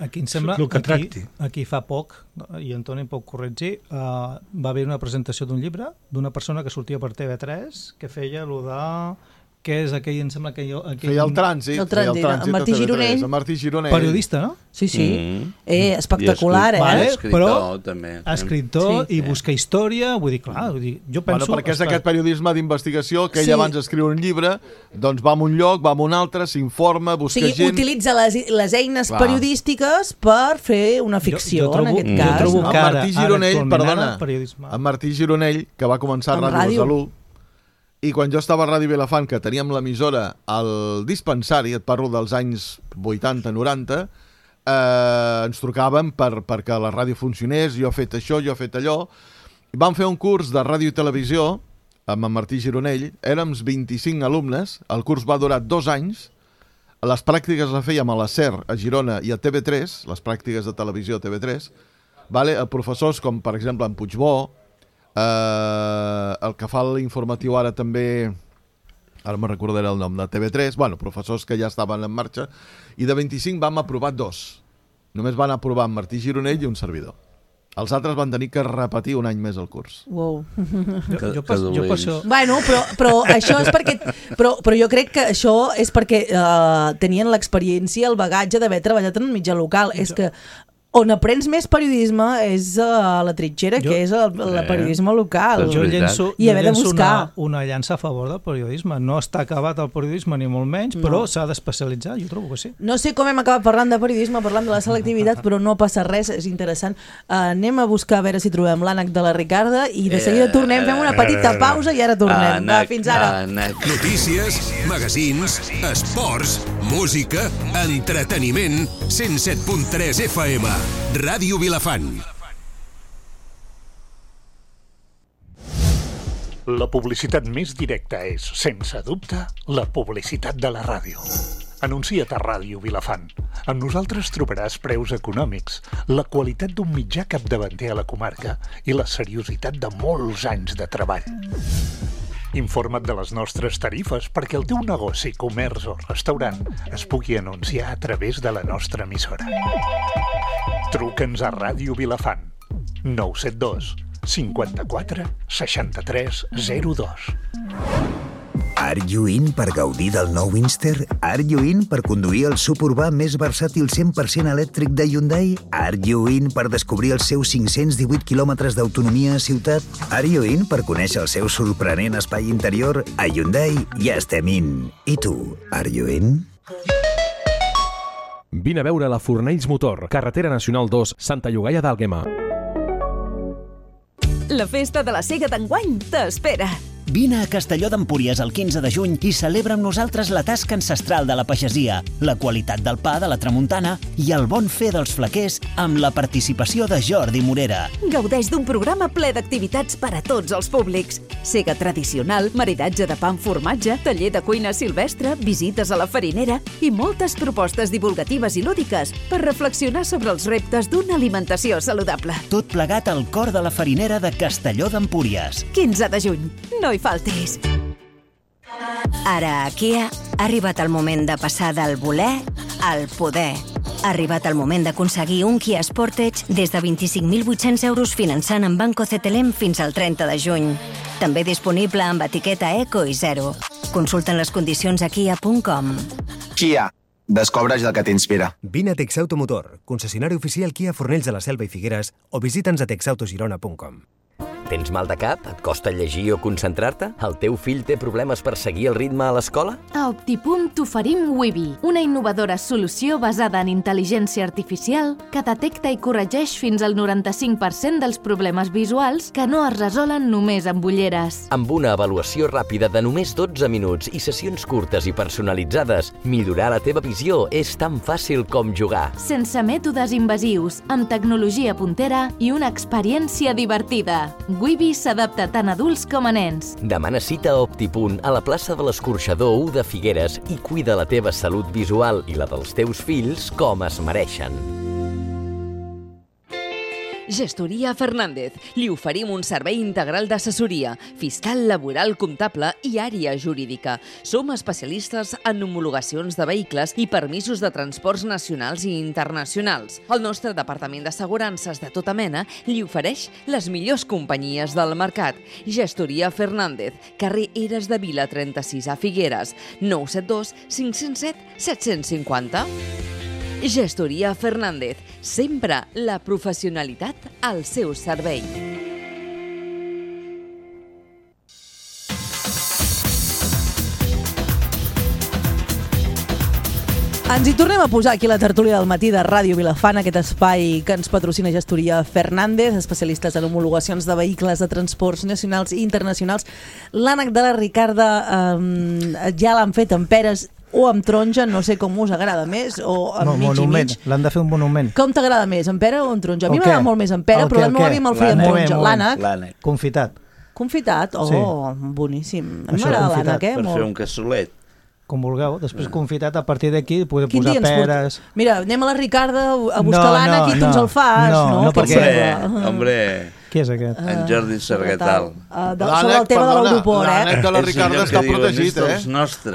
Aquí em sembla, el que aquí, tracti. aquí fa poc, i Antoni em pot corregir, uh, va haver una presentació d'un llibre d'una persona que sortia per T V tres que feia allò de... que és aquell, em sembla que jo... Aquell... Feia el trànsit. El feia trànsit, en Martí a T V tres, Gironell. en Martí Gironell. Periodista, no? Sí, sí. Mm. Eh, espectacular, I eh? Vale. escriptor, Però- també. Escriptor Sí. i busca història, vull dir, clar, vull dir, jo penso... Bueno, perquè és aquest periodisme d'investigació que ell Sí. abans d'escriure un llibre, doncs va a un lloc, va a un altre, s'informa, O busca sigui, gent... utilitza les, les eines Clar. periodístiques per fer una ficció, jo, jo trobo, en aquest jo cas. trobo no? que En ara, Martí ara Gironell, actualment, perdona, ara, periodisme. en Martí Gironell, que va començar a En Ràdio ràdio. Besalú, i quan jo estava a Ràdio Vilafant, que teníem l'emissora al dispensari, et parlo dels anys vuitanta noranta, eh, ens trucàvem per, perquè la ràdio funcionés, jo he fet això, jo he fet allò, i vam fer un curs de ràdio i televisió amb en Martí Gironell, érem vint-i-cinc alumnes, el curs va durar dos anys, les pràctiques les fèiem a la SER, a Girona i a T V tres, les pràctiques de televisió a T V tres, vale? Professors com, per exemple, en Puigbó, eh, el que fa l'informatiu ara també, ara me recordaré el nom, de T V tres, bueno, professors que ja estaven en marxa, i de vint-i-cinc vam aprovar dos. Només van aprovar en Martí Gironell i un servidor. Els altres van tenir que repetir un any més el curs. Wow. Jo, jo, pas, jo per això... Bueno, però, però això és perquè... Però, però jo crec que això és perquè uh, tenien l'experiència, el bagatge d'haver treballat en un mitjà local. És que on aprens més periodisme és a la trinxera, jo, que és el, el periodisme local. Jo llenço, I haver de buscar. Una, una llança a favor del periodisme. No està acabat el periodisme, ni molt menys, no. Però s'ha d'especialitzar, jo trobo que sí. No sé com hem acabat parlant de periodisme, parlant de la selectivitat, però no passa res, és interessant. Uh, anem a buscar a veure si trobem l'ànec de la Ricarda i de seguida tornem, fem una petita pausa i ara tornem. Va, fins ara. Notícies, magazins, esports, música, entreteniment, cent set punt tres F M. Ràdio Vilafant. La publicitat més directa és, sense dubte, la publicitat de la ràdio. Anuncia't a Ràdio Vilafant. Amb nosaltres trobaràs preus econòmics, la qualitat d'un mitjà capdavanter a la comarca i la seriositat de molts anys de treball. Informa't de les nostres tarifes perquè el teu negoci, comerç o restaurant es pugui anunciar a través de la nostra emissora. Truca'ns a Ràdio Vilafant. nou set dos cinquanta-quatre seixanta-tres zero dos. Are you in per gaudir del nou Inster? Are you in per conduir el suburbà més versàtil cent per cent elèctric de Hyundai? Are you in per descobrir els seus cinc-cents divuit quilòmetres d'autonomia a ciutat? Are you in per conèixer el seu sorprenent espai interior? A Hyundai ja estem in. I tu, are you in? Vine a veure la Fornells Motor, carretera nacional dos, Santa Llogaia d'Àlguema. La festa de la Sega d'enguany t'espera. Vine a Castelló d'Empúries el quinze de juny i celebra amb nosaltres la tasca ancestral de la pagesia, la qualitat del pa de la tramuntana i el bon fer dels flaquers amb la participació de Jordi Morera. Gaudeix d'un programa ple d'activitats per a tots els públics. Sega tradicional, maridatge de pa amb formatge, taller de cuina silvestre, visites a la farinera i moltes propostes divulgatives i lúdiques per reflexionar sobre els reptes d'una alimentació saludable. Tot plegat al cor de la farinera de Castelló d'Empúries. quinze de juny. No hi faltis. Ara a Kia ha arribat el moment de passar del voler al poder. Ha arribat el moment d'aconseguir un Kia Sportage des de vint-i-cinc mil vuit-cents euros finançant amb Banco C T L M fins al trenta de juny. També disponible amb etiqueta Eco i Zero. Consulten les condicions a kia punt com. Kia. Descobreix el que t'inspira. Vine a Texautomotor, concessionari oficial Kia Fornells de la Selva i Figueres, o visita'ns a texautogirona punt com. Tens mal de cap? Et costa llegir o concentrar-te? El teu fill té problemes per seguir el ritme a l'escola? A Optipunt t'oferim Wibi, una innovadora solució basada en intel·ligència artificial que detecta i corregeix fins al noranta-cinc per cent dels problemes visuals que no es resolen només amb ulleres. Amb una avaluació ràpida de només dotze minuts i sessions curtes i personalitzades, millorar la teva visió és tan fàcil com jugar. Sense mètodes invasius, amb tecnologia puntera i una experiència divertida. Wibi s'adapta tant a adults com a nens. Demana cita a Optipunt a la plaça de l'Escorxador u de Figueres i cuida la teva salut visual i la dels teus fills com es mereixen. Gestoria Fernández. Li oferim un servei integral d'assessoria, fiscal, laboral, comptable i àrea jurídica. Som especialistes en homologacions de vehicles i permisos de transports nacionals i internacionals. El nostre departament d'assegurances de tota mena li ofereix les millors companyies del mercat. Gestoria Fernández, carrer Eres de Vila trenta-sis a Figueres, nou set dos cinc zero set set cinc zero. Gestoria Fernández, sempre la professionalitat al seu servei. Ens hi tornem a posar aquí a la tertúlia del matí de Ràdio Vilafant, aquest espai que ens patrocina Gestoria Fernández, especialistes en homologacions de vehicles de transports nacionals i internacionals. L'ànec de la Ricarda eh, ja l'han fet amb peres o amb taronja, no sé com us agrada més, o amb no, mig monument. i mig. L'han de fer un monument. Com t'agrada més, amb pera o amb taronja? A mi El m'agrada què? molt més amb pera, El però què, la el meva què? àvia me'l feia amb Moment, taronja. moment. L'ànec. Confitat. Confitat? Oh, Sí. boníssim. A mi Això, m'agrada confitat. l'ànec, eh? Per Molt. fer un cassolet. com vulgueu. Després confitat, a partir d'aquí podeu posar peres... Mira, anem a la Ricarda a buscar l'ànec i tu ens el fas, no? No, no, perquè... Hombre... Qui és aquest? En Jordi Sargatal. Uh, de, sobre el tema de l'aeroport, eh? L'ànec de la Ricarda està protegit, eh?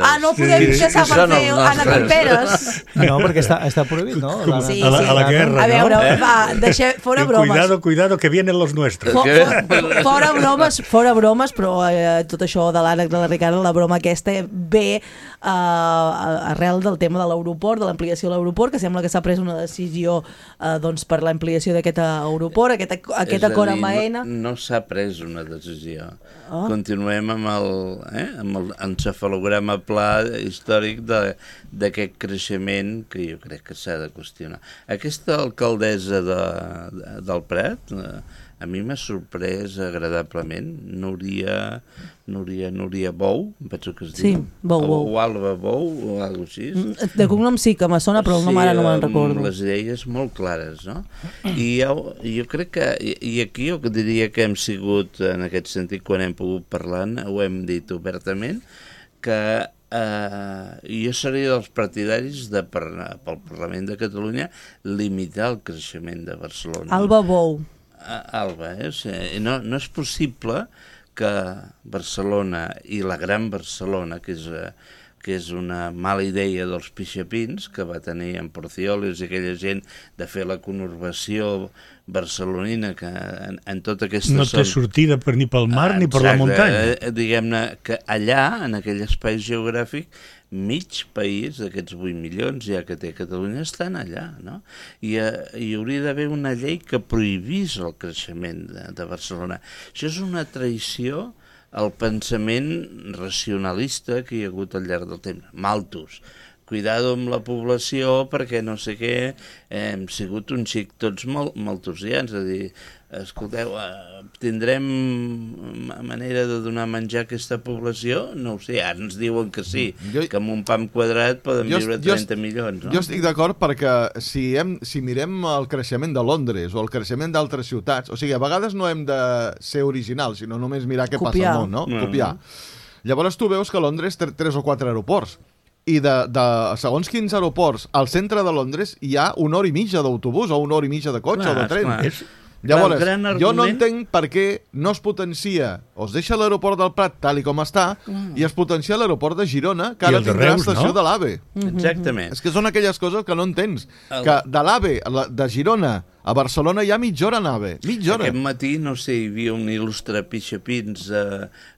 Ah, no podem deixar per fer ànec amb peres. No, perquè està, està prohibit, no? La, sí, a, la, sí. a la guerra, a veure, no? va, deixem, fora bromes. Cuidado, cuidado, que vienen los nuestros. For, for, fora bromes, fora bromes, però eh, tot això de l'ànec de la Ricarda, la broma aquesta, ve uh, arrel del tema de l'aeroport, de l'ampliació de l'aeroport, que sembla que s'ha pres una decisió uh, doncs, per l'ampliació d'aquest aeroport, aquest, aquest acord amb A E N A. No, no s'ha pres una decisió. Oh. Continuem amb el, eh, amb el encefalograma pla històric d'aquest creixement que jo crec que s'ha de qüestionar. Aquesta alcaldessa de, de, del Prat, eh, a mi m'ha sorprès agradablement. Núria, Núria, Núria Bou, em penso que es diu. Sí, Bou, Bou. O Alba Bou, o alguna cosa així. De cognom sí que me sona, però el nom ara no me'n recordo. Sí, les idees molt clares, no? I jo, jo crec que, i, i aquí jo diria que hem sigut, en aquest sentit, quan hem pogut parlar, ho hem dit obertament, que eh, jo seria dels partidaris de, per, pel Parlament de Catalunya, limitar el creixement de Barcelona. Alba Bou. Alba, eh? O sigui, no, no és possible que Barcelona i la Gran Barcelona, que és, que és una mala idea dels pixapins que va tenir en Porcioles i aquella gent de fer la conurbació barcelonina, que en, en tota aquesta... No té sortida per, ni pel mar ah, ni per exacte, la muntanya. Eh, diguem-ne que allà, en aquell espai geogràfic, mig país d'aquests vuit milions ja que té Catalunya estan allà, no? I eh, hi hauria d'haver una llei que prohibís el creixement de, de Barcelona. Això és una traïció al pensament racionalista que hi ha hagut al llarg del temps. Malthus, cuidado amb la població perquè no sé què, eh, hem sigut un xic tots molt malthusians, és a dir, escolteu, eh, tindrem manera de donar menjar a aquesta població? No ho sé, ara ens diuen que sí, jo, que amb un pam quadrat poden jo, viure trenta milions. No? Jo estic d'acord perquè si, hem, si mirem el creixement de Londres o el creixement d'altres ciutats, o sigui, a vegades no hem de ser originals, sinó només mirar què Copiar. passa al món, no? no? Copiar. Llavors tu veus que Londres té tres o quatre aeroports, i de, de segons quins aeroports al centre de Londres hi ha una hora i mitja d'autobús o una hora i mitja de cotxe clar, o de tren. És... Llavors, argument... jo no entenc per què no es potencia, o es deixa l'aeroport del Prat tal i com està, mm. i es potencia l'aeroport de Girona, que ara tindrà Reus, estació no? de l'AVE. Mm-hmm. Exactament. És que són aquelles coses que no entens. El... Que de l'AVE, de Girona, a Barcelona hi ha mitja hora en AVE. Mitja hora. Aquest matí, no sé, hi havia un il·lustre pixapins a,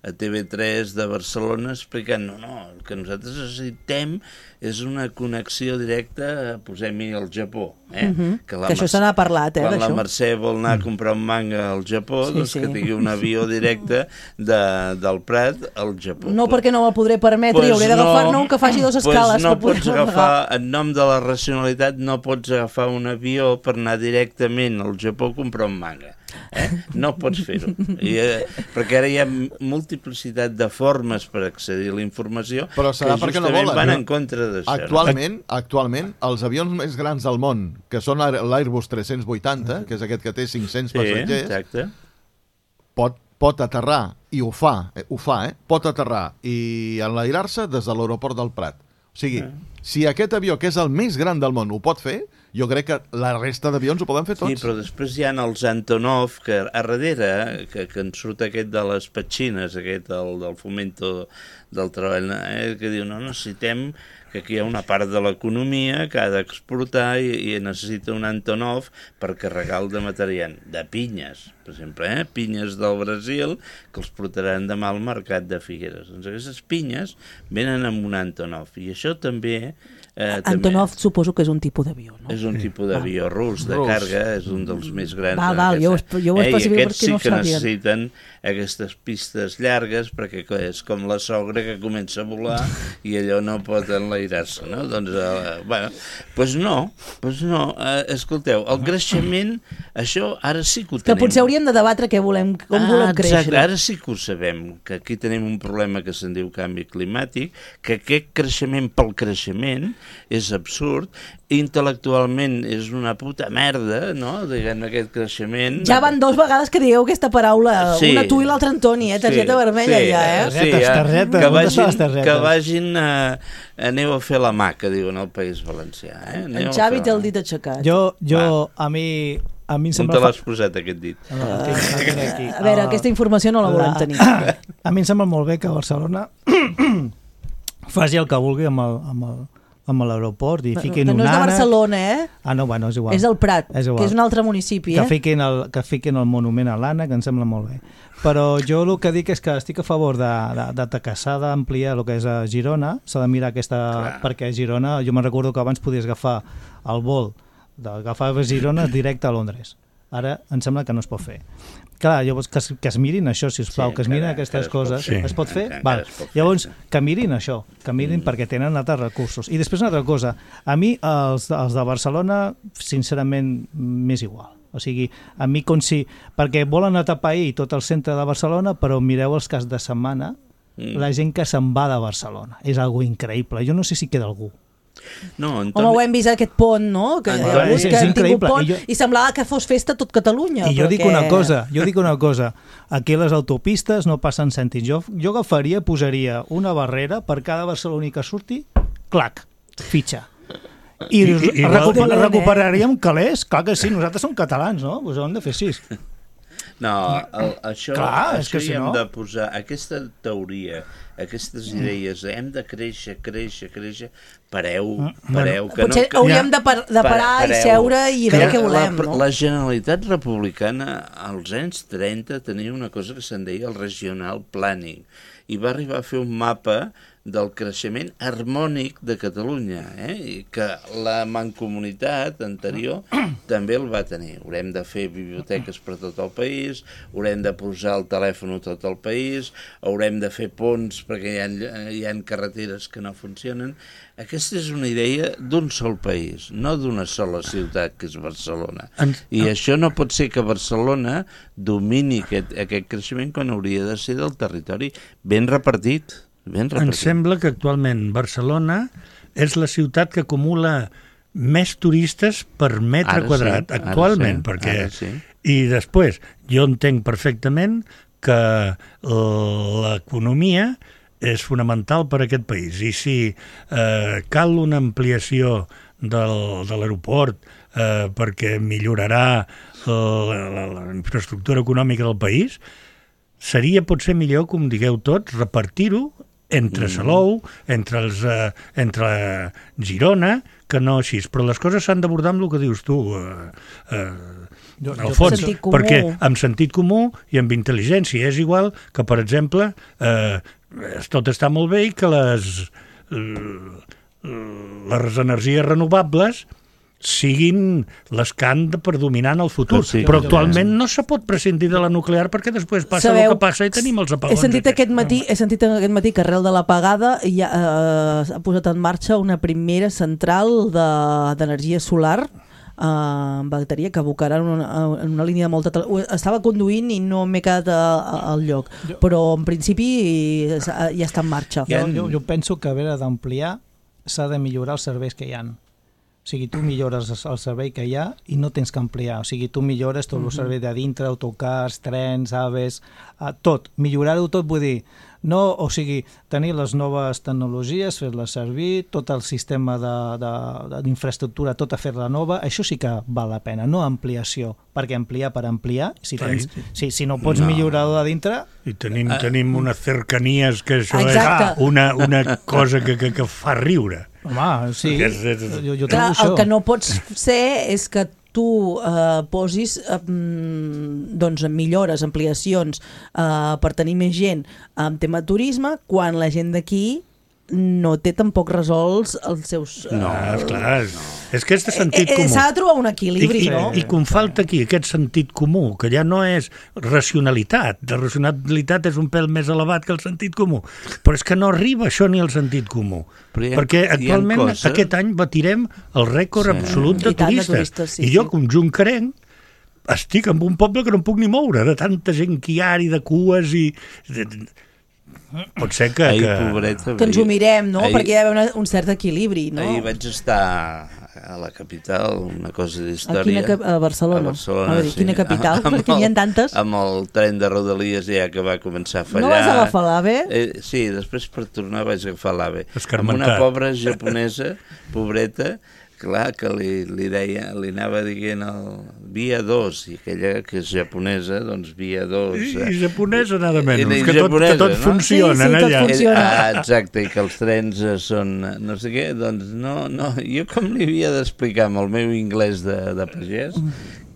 a T V tres de Barcelona explicant, no, no, el que nosaltres necessitem és una connexió directa, posem-hi al Japó. Eh? Mm-hmm. Que, que això se n'ha parlat, eh, quan d'això. La Mercè vol anar a comprar un manga al Japó, sí, doncs sí. que tingui un avió directe de, del Prat al Japó. No, perquè no el podré permetre pues i hauré d'agafar-ne no, un que faci dues escales. Pues no pots agafar, en nom de la racionalitat, no pots agafar un avió per anar directament al Japó a comprar un manga. Eh? No pots fer-ho. I, eh, perquè ara hi ha multiplicitat de formes per accedir a la informació però serà que justament no volen, van no? en contra d'això. Actualment, no? actualment, els avions més grans del món, que són l'Airbus tres-cents vuitanta, que és aquest que té cinc-cents sí, passatgers, exacte. pot, pot aterrar, i ho fa, eh, ho fa, eh? pot aterrar i enlairar-se des de l'aeroport del Prat. O sigui, eh. si aquest avió, que és el més gran del món, ho pot fer, jo crec que la resta d'avions ho poden fer tots. Sí, però després hi ha els Antonov, que a darrere, que, que en surt aquest de les petxines, aquest del, del fomento del treball, eh, que diu, no, necessitem que aquí hi ha una part de l'economia que ha d'exportar i, i necessita un Antonov per carregar el de material, de pinyes, per exemple, eh? pinyes del Brasil, que els portaran demà al mercat de Figueres. Doncs aquestes pinyes venen amb un Antonov, i això també... Eh, Antonov també, suposo que és un tipus d'avió, no? És un sí. tipus d'avió rus, de rus. Carga, és un dels més grans. Val, val, jo, jo ho especifico eh, perquè no ho sí que necessiten aquestes pistes llargues, perquè és com la sogra que comença a volar i allò no pot enlairar-se, no? Doncs, eh, bueno, doncs no, doncs no. Eh, escolteu, el creixement, això ara sí que ho tenim. Que potser hauríem de debatre què volem, com ah, volem créixer. Exacte, ara sí que ho sabem, que aquí tenim un problema que se'n diu canvi climàtic, que aquest creixement pel creixement és absurd, intel·lectualment és una puta merda, no?, diguem, aquest creixement. Ja van dos vegades que digueu aquesta paraula, sí. una tu i l'altra Antoni, eh? Targeta sí. vermella sí. ja, eh? Sí, targetes, targetes, que vagin, targetes. que vagin a, aneu a fer la mà, que diuen al País Valencià. Eh? En Xavi té el dit aixecat. Jo, jo a mi... A mi em sembla... On te l'has posat, aquest dit? Uh, a veure, uh, aquesta informació no la volem tenir. A mi em sembla molt bé que Barcelona faci el que vulgui amb el, amb el, amb l'aeroport i fiquin no, un ànec... No és de Barcelona, eh? Ah, no, bueno, és igual. És el Prat, és que és un altre municipi, que eh? Fiquin el, que fiquin el monument a l'ànec, em sembla molt bé. Però jo el que dic és que estic a favor de, de, de que s'ha d'ampliar el que és a Girona, s'ha de mirar aquesta... Clar. Perquè a Girona, jo me'n recordo que abans podies agafar el vol d'agafar a Girona directe a Londres. Ara em sembla que no es pot fer. Clar, llavors que es, que es mirin això, sisplau, sí, que es mirin encara, aquestes coses. Sí. Es pot fer? Val. Es pot fer. Llavors, que mirin això, que mirin mm. perquè tenen altres recursos. I després una altra cosa, a mi els, els de Barcelona, sincerament, m'és igual. O sigui, a mi com si... Perquè volen atapeir tot el centre de Barcelona, però mireu els cas de setmana, mm. la gent que se'n va de Barcelona. És algo increïble. Jo no sé si queda algú. No, Antoni... Home, ho hem vist aquest pont, no? Que, Antoni... que hem tingut pont i, jo... i semblava que fos festa tot Catalunya. I jo dic una cosa, jo dic una cosa, aquí a les autopistes no passen cèntims. Jo, jo agafaria, posaria una barrera per cada barceloní que surti, clac, fitxa. I, I, i, i recuper, eh? recuperaríem calés, clar que sí, nosaltres som catalans, no? Pues ho hem de fer així. No, el, això, clar, això si hi hem no... de posar, aquesta teoria, aquestes idees, hem de créixer, créixer, créixer, pareu, pareu. Que Potser no, hauríem de, par de parar pareu, i seure i veure què volem, la, no? La Generalitat Republicana als anys trenta tenia una cosa que se'n deia el regional planning i va arribar a fer un mapa del creixement harmònic de Catalunya, eh? I que la mancomunitat anterior també el va tenir. Haurem de fer biblioteques per tot el país, haurem de posar el telèfon a tot el país, haurem de fer ponts perquè hi ha, hi ha carreteres que no funcionen. Aquesta és una idea d'un sol país, no d'una sola ciutat, que és Barcelona. I això no pot ser que Barcelona domini aquest, aquest creixement quan hauria de ser del territori ben repartit. Em sembla que actualment Barcelona és la ciutat que acumula més turistes per metre ara quadrat, sí, actualment. Sí, perquè... sí. I després, jo entenc perfectament que l'economia és fonamental per a aquest país. I si eh, cal una ampliació del, de l'aeroport eh, perquè millorarà la, la, la infraestructura econòmica del país, seria potser millor, com digueu tots, repartir-ho entre Salou, entre, els, eh, entre Girona, que no així. Però les coses s'han d'abordar amb el que dius tu, eh, eh, Alfons, perquè amb sentit comú i amb intel·ligència. És igual que, per exemple, eh, tot està molt bé i que les, les energies renovables siguin les que han de predominar en el futur. Sí, però actualment no se pot prescindir de la nuclear perquè després passa Sabeu, el que passa i tenim els apagons. He sentit aquest matí, he sentit aquest matí que arrel de l'apagada ja eh, s'ha posat en marxa una primera central d'energia de, solar eh, en bateria que abocarà en una, en una línia de molta... Estava conduint i no m'he quedat al lloc, però en principi ja està en marxa. Jo, jo, jo penso que haver d'ampliar s'ha de millorar els serveis que hi ha. O sigui, tu millores el servei que hi ha i no tens que ampliar. O sigui, tu millores tot el servei de dintre, autocars, trens, aves, tot. Millorar-ho tot vull dir, no, o sigui, tenir les noves tecnologies, fer-les servir, tot el sistema d'infraestructura, tota fer-la nova, això sí que val la pena, no ampliació, perquè ampliar per ampliar, si, tens, si, si no pots no. millorar-ho de dintre... I tenim, tenim unes cercanies que això Exacte. és una, una cosa que, que, que fa riure. Home, sí, és, és... Jo, jo Clar, el que no pots ser és que tu eh, posis eh, doncs, millores, ampliacions eh, per tenir més gent en tema turisme, quan la gent d'aquí no té tampoc resolts els seus... No, clar, no. És que és de sentit comú. S'ha de trobar un equilibri, I, no? I, I com falta aquí aquest sentit comú, que ja no és racionalitat, la racionalitat és un pèl més elevat que el sentit comú, però és que no arriba això ni al sentit comú, ha, perquè actualment coses... aquest any batirem el rècord sí. absolut de I turistes, de turistes sí, i jo, com juncarenc, estic en un poble que no em puc ni moure, de tanta gent que hi ha i de cues i... pot ser que... Ahir, que... pobreta, que ens ho mirem, no? ahir, perquè hi ha una, un cert equilibri, no? Ahir vaig estar a la capital, una cosa d'història. A, quina, a Barcelona? A Barcelona, a veure, sí. Quina capital? Amb perquè n'hi ha tantes. Amb el tren de Rodalies ja que va començar a fallar. No vas agafar l'AVE? Eh, sí, després per tornar vaig agafar l'AVE. Escarmentat. Amb una pobra japonesa, pobreta, clar, que li, li deia, li anava dient el via dos, i aquella que és japonesa, doncs via dos. I, i japonesa nada menys, I, i que, tot, japonesa, que tot no? funciona sí, sí, allà. tot funciona. Ah, exacte, i que els trens són no sé què, doncs no, no, jo com li havia d'explicar amb el meu anglès de, de pagès,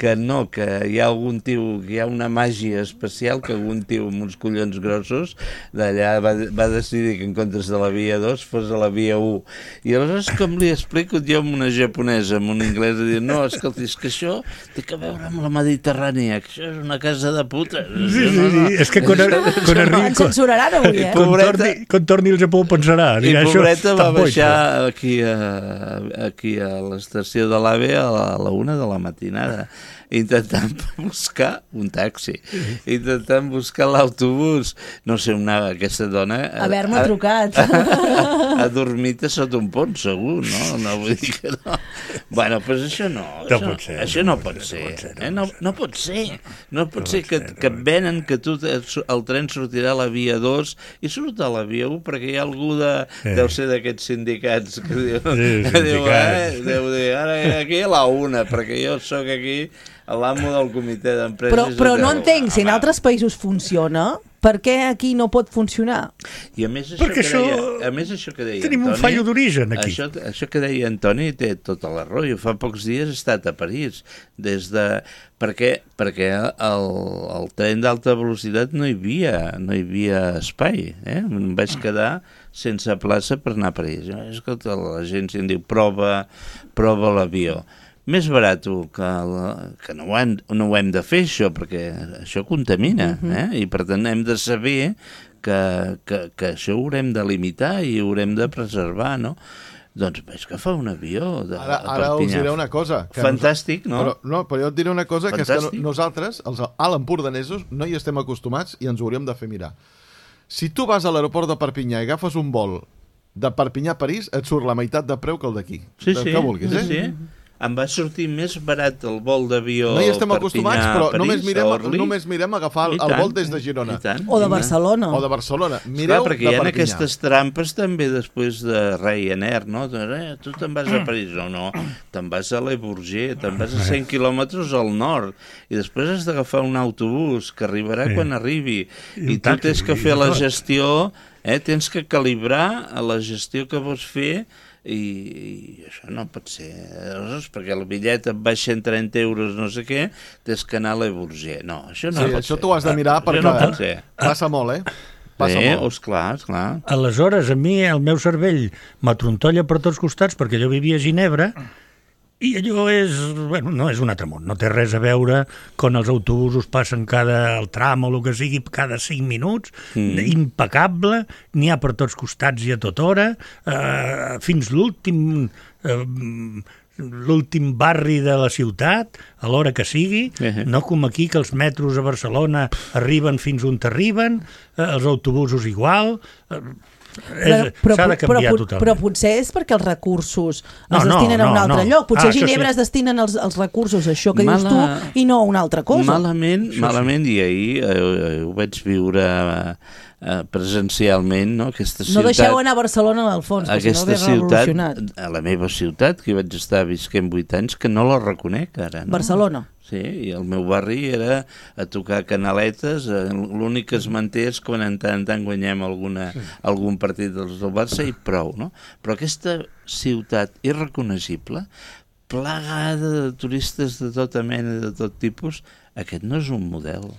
que no, que hi ha algun tio, que hi ha una màgia especial, que algun tio amb uns collons grossos d'allà va, va decidir que en comptes de la via dos fos a la via u. I aleshores com li explico jo amb una japonesa, amb un anglès, de dir, no, escolta, és que això té que veure amb la Mediterrània, que això és una casa de puta. Sí, sí, sí, és que quan, quan arribi... Ens censuraran avui, eh? Quan torni, quan torni al Japó pensarà. I dirà, pobreta va boig, baixar aquí a, aquí a l'estació de l'AVE a la, a la una de la matinada, intentant buscar un taxi, intentant buscar l'autobús. No sé, una, aquesta dona... Haver-me trucat. Ha dormit a sota un pont, segur, no? No vull dir que no. Bueno, doncs pues això no. No això, pot ser. Això no pot ser. Eh? No, no pot ser. No pot ser que, que et venen que tu el tren sortirà a la via dos i surt a la via u perquè hi ha algú de... Eh. Deu ser d'aquests sindicats que diu... Sí, que diu, sindicats. eh, deu dir, ara aquí a la una, perquè jo sóc aquí l'amo del comitè d'empreses. Però, però no de... entenc, si en altres països funciona, per què aquí no pot funcionar? I a més això Perquè que això... deia, a més això que deia Tenim Antoni, un fallo d'origen aquí. Això, això que deia Antoni té tota la raó. Jo fa pocs dies he estat a París des de... Perquè, perquè el, el tren d'alta velocitat no hi havia, no hi havia espai. Eh? Em vaig quedar sense plaça per anar a París. Escolta, l'agència em diu prova, prova l'avió. Més barat que, la, que no, ho hem, no ho hem de fer, això, perquè això contamina, uh-huh. eh? I per tant hem de saber que, que, que això ho haurem de limitar i ho haurem de preservar, no? Doncs vaig agafar un avió de, ara, ara us diré una cosa. Que Fantàstic, no? Però, no, però jo et diré una cosa, Fantàstic. que és que nosaltres, els alt empordanesos, no hi estem acostumats i ens ho hauríem de fer mirar. Si tu vas a l'aeroport de Perpinyà i agafes un vol de Perpinyà a París, et surt la meitat de preu que el d'aquí. Sí, sí. Que vulguis, eh? Sí, sí. Em va sortir més barat el vol d'avió no hi estem Perpinyà, acostumats, però París, només mirem, Orly. només mirem agafar el, el vol des de Girona. O de Barcelona. O de Barcelona. Esclar, Mireu perquè de hi ha Perpinyà. aquestes trampes també després de Ryanair, no? Eh, tu te'n vas a París, no, no, te'n vas a Le Bourget, te'n vas a cent quilòmetres al nord, i després has d'agafar un autobús que arribarà Sí. quan arribi, I i un tu taxi, tens que i fer la tot. gestió, eh? Tens que calibrar a la gestió que vols fer, i, i això no pot ser, aleshores, perquè el bitllet et baixa en trenta euros no sé què, tens que anar a Le Bourget. No, això no Sí, pot això ser. t'ho has de mirar perquè no pot ser. passa molt, eh? Passa Eh, molt. esclar, esclar. Aleshores, a mi el meu cervell m'atrontolla per tots costats perquè jo vivia a Ginebra i allò és, bueno, no és un altre món, no té res a veure quan els autobusos passen cada, el tram o el que sigui, cada cinc minuts, mm. impecable, n'hi ha per tots costats i a tota hora, eh, fins l'últim... Eh, l'últim barri de la ciutat, a l'hora que sigui, uh-huh. no com aquí que els metros a Barcelona arriben fins on arriben, eh, els autobusos igual... Eh, Però, però, s'ha de canviar però, totalment. però potser és perquè els recursos No, es no, destinen a un no, altre no. lloc. Potser Ah, a Ginebra això sí. es destinen els, els recursos, això que Mala- dius tu, i no a una altra cosa. Malament, malament, i ahir eh, ho vaig viure eh, presencialment, no? Aquesta ciutat... No deixeu anar a Barcelona a l'Alfons, que si no ve revolucionat. a la meva ciutat, que hi vaig estar visquent vuit anys, que no la reconec ara. No? Barcelona. Sí, i el meu barri era a tocar canaletes, eh, l'únic que es manté és quan en tant en tant guanyem alguna, sí. algun partit dels del Barça i prou, no? Però aquesta ciutat irreconeixible, plagada de turistes de tota mena, de tot tipus, aquest no és un model.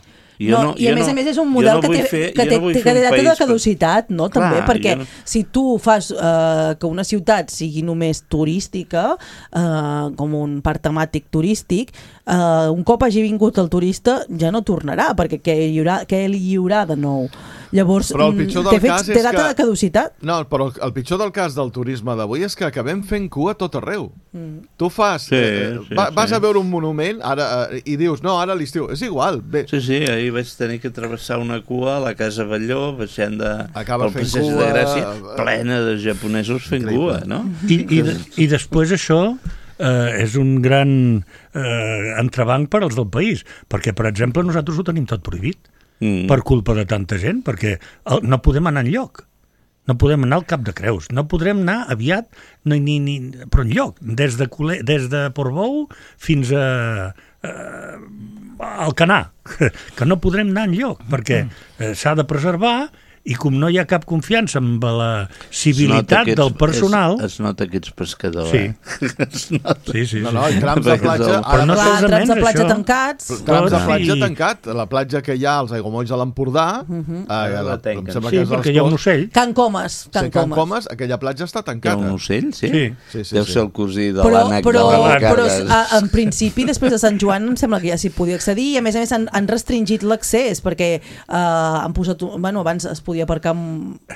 Jo No, no, I a jo més no, a més és un model no que té, fer, que té, no que fer té un data de país caducitat, no? Clar, També, perquè no... si tu fas eh, que una ciutat sigui només turística, eh, com un parc temàtic turístic, eh, un cop hagi vingut el turista ja no tornarà, perquè què, hi haurà, què li hi haurà de nou? Llavors, Però el pitjor del té, cas té és data que... de caducitat? No, però el, el pitjor del cas del turisme d'avui és que acabem fent cua a tot arreu. Mm. Tu fas... Sí, eh, sí, va, vas sí. a veure un monument ara eh, i dius, no, ara a l'estiu. És igual. Bé. Sí, sí, ahir vaig tenir que travessar una cua a la Casa Batlló, baixant de, Acaba pel passeig de Gràcia, plena de japonesos fent cua, no? I, i, de, i després això... Uh, és un gran uh, entrebanc per als del país, perquè, per exemple, nosaltres ho tenim tot prohibit, mm. per culpa de tanta gent, perquè el, no podem anar enlloc. No podem anar al Cap de Creus, no podrem anar aviat, ni, ni, ni, però enlloc, des de, Cole, des de Portbou fins a, a Alcanar, que no podrem anar enlloc, perquè eh, s'ha de preservar. I com no hi ha cap confiança amb la civilitat ets, del personal... Es, es nota que ets pescador, sí. eh? Es nota. Sí, sí, sí. No, no, i trams de platja... Ara no clar, trams de platja això. tancats. Trams de platja sí. tancat. La platja que hi ha als aiguamolls de l'Empordà... Uh -huh. eh, la, em sembla sí, que és perquè hi ha un ocell. Can Comas. Can, sí, Can Comas. Comas, aquella platja està tancada. Hi ha un ocell, sí? Sí. sí, sí Deu sí. ser el cosí de però, l'ànec però, de la però Carles. en principi, després de Sant Joan, em sembla que ja s'hi podia accedir i, a més a més, han, han restringit l'accés perquè eh, han posat... Bueno, abans es podia aparcar...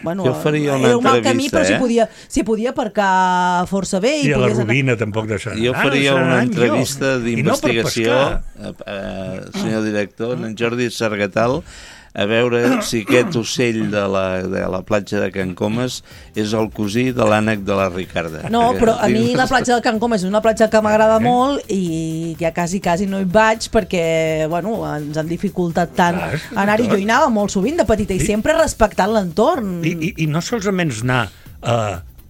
Bueno, jo faria una era un mal entrevista, camí, però eh? s'hi podia, s'hi podia aparcar força bé. I, I a la podies Rovina anar... tampoc deixarà. Jo faria ah, una entrevista d'investigació, no eh, senyor director, en Jordi Sargatal, a veure si aquest ocell de la, de la platja de Can Comas és el cosí de l'ànec de la Ricarda. No, però a mi la platja de Can Comas és una platja que m'agrada molt i ja quasi, quasi no hi vaig perquè, bueno, ens han dificultat tant anar-hi. Jo hi anava molt sovint de petita i sempre respectant l'entorn. I, i, I no solament anar a,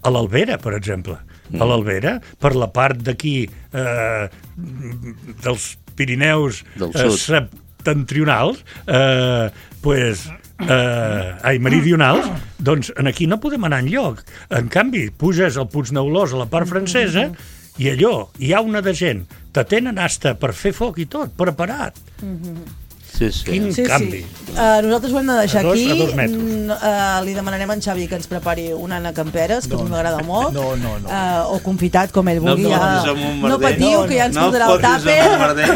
a l'Albera, per exemple. A l'Albera, per la part d'aquí eh, dels Pirineus eh, septentrionals, eh, pues, eh, ai, meridionals, doncs aquí no podem anar enlloc. En canvi, puges al Puigneulós a la part francesa i allò, hi ha una de gent, te tenen hasta per fer foc i tot, preparat. Sí, sí. Quin sí, canvi. Sí. Uh, nosaltres ho hem de deixar a dos, aquí. A dos mm, uh, li demanarem a en Xavi que ens prepari una ànec amb peres, que no, a mi m'agrada molt. No, no, no. Uh, o confitat, com ell vulgui. No, ja. no patiu, no, que ja ens no portarà el tàper.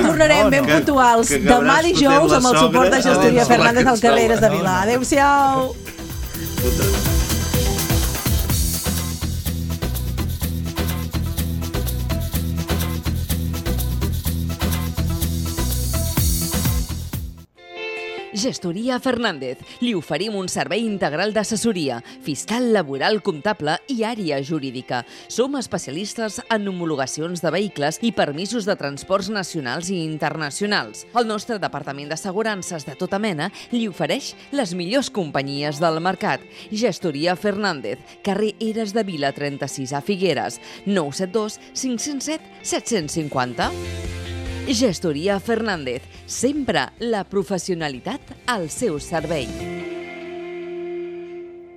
Tornarem no, no. ben que, puntuals que demà dijous amb el suport de Gestoria Fernández al Carreres de Vilà. Adéu-siau. Gestoria Fernández. Li oferim un servei integral d'assessoria, fiscal, laboral, comptable i àrea jurídica. Som especialistes en homologacions de vehicles i permisos de transports nacionals i internacionals. El nostre departament d'assegurances de tota mena li ofereix les millors companyies del mercat. Gestoria Fernández, carrer Eres de Vila trenta-sis a Figueres, nou set dos cinc zero set set cinc zero. Gestoria Fernández, sempre la professionalitat al seu servei.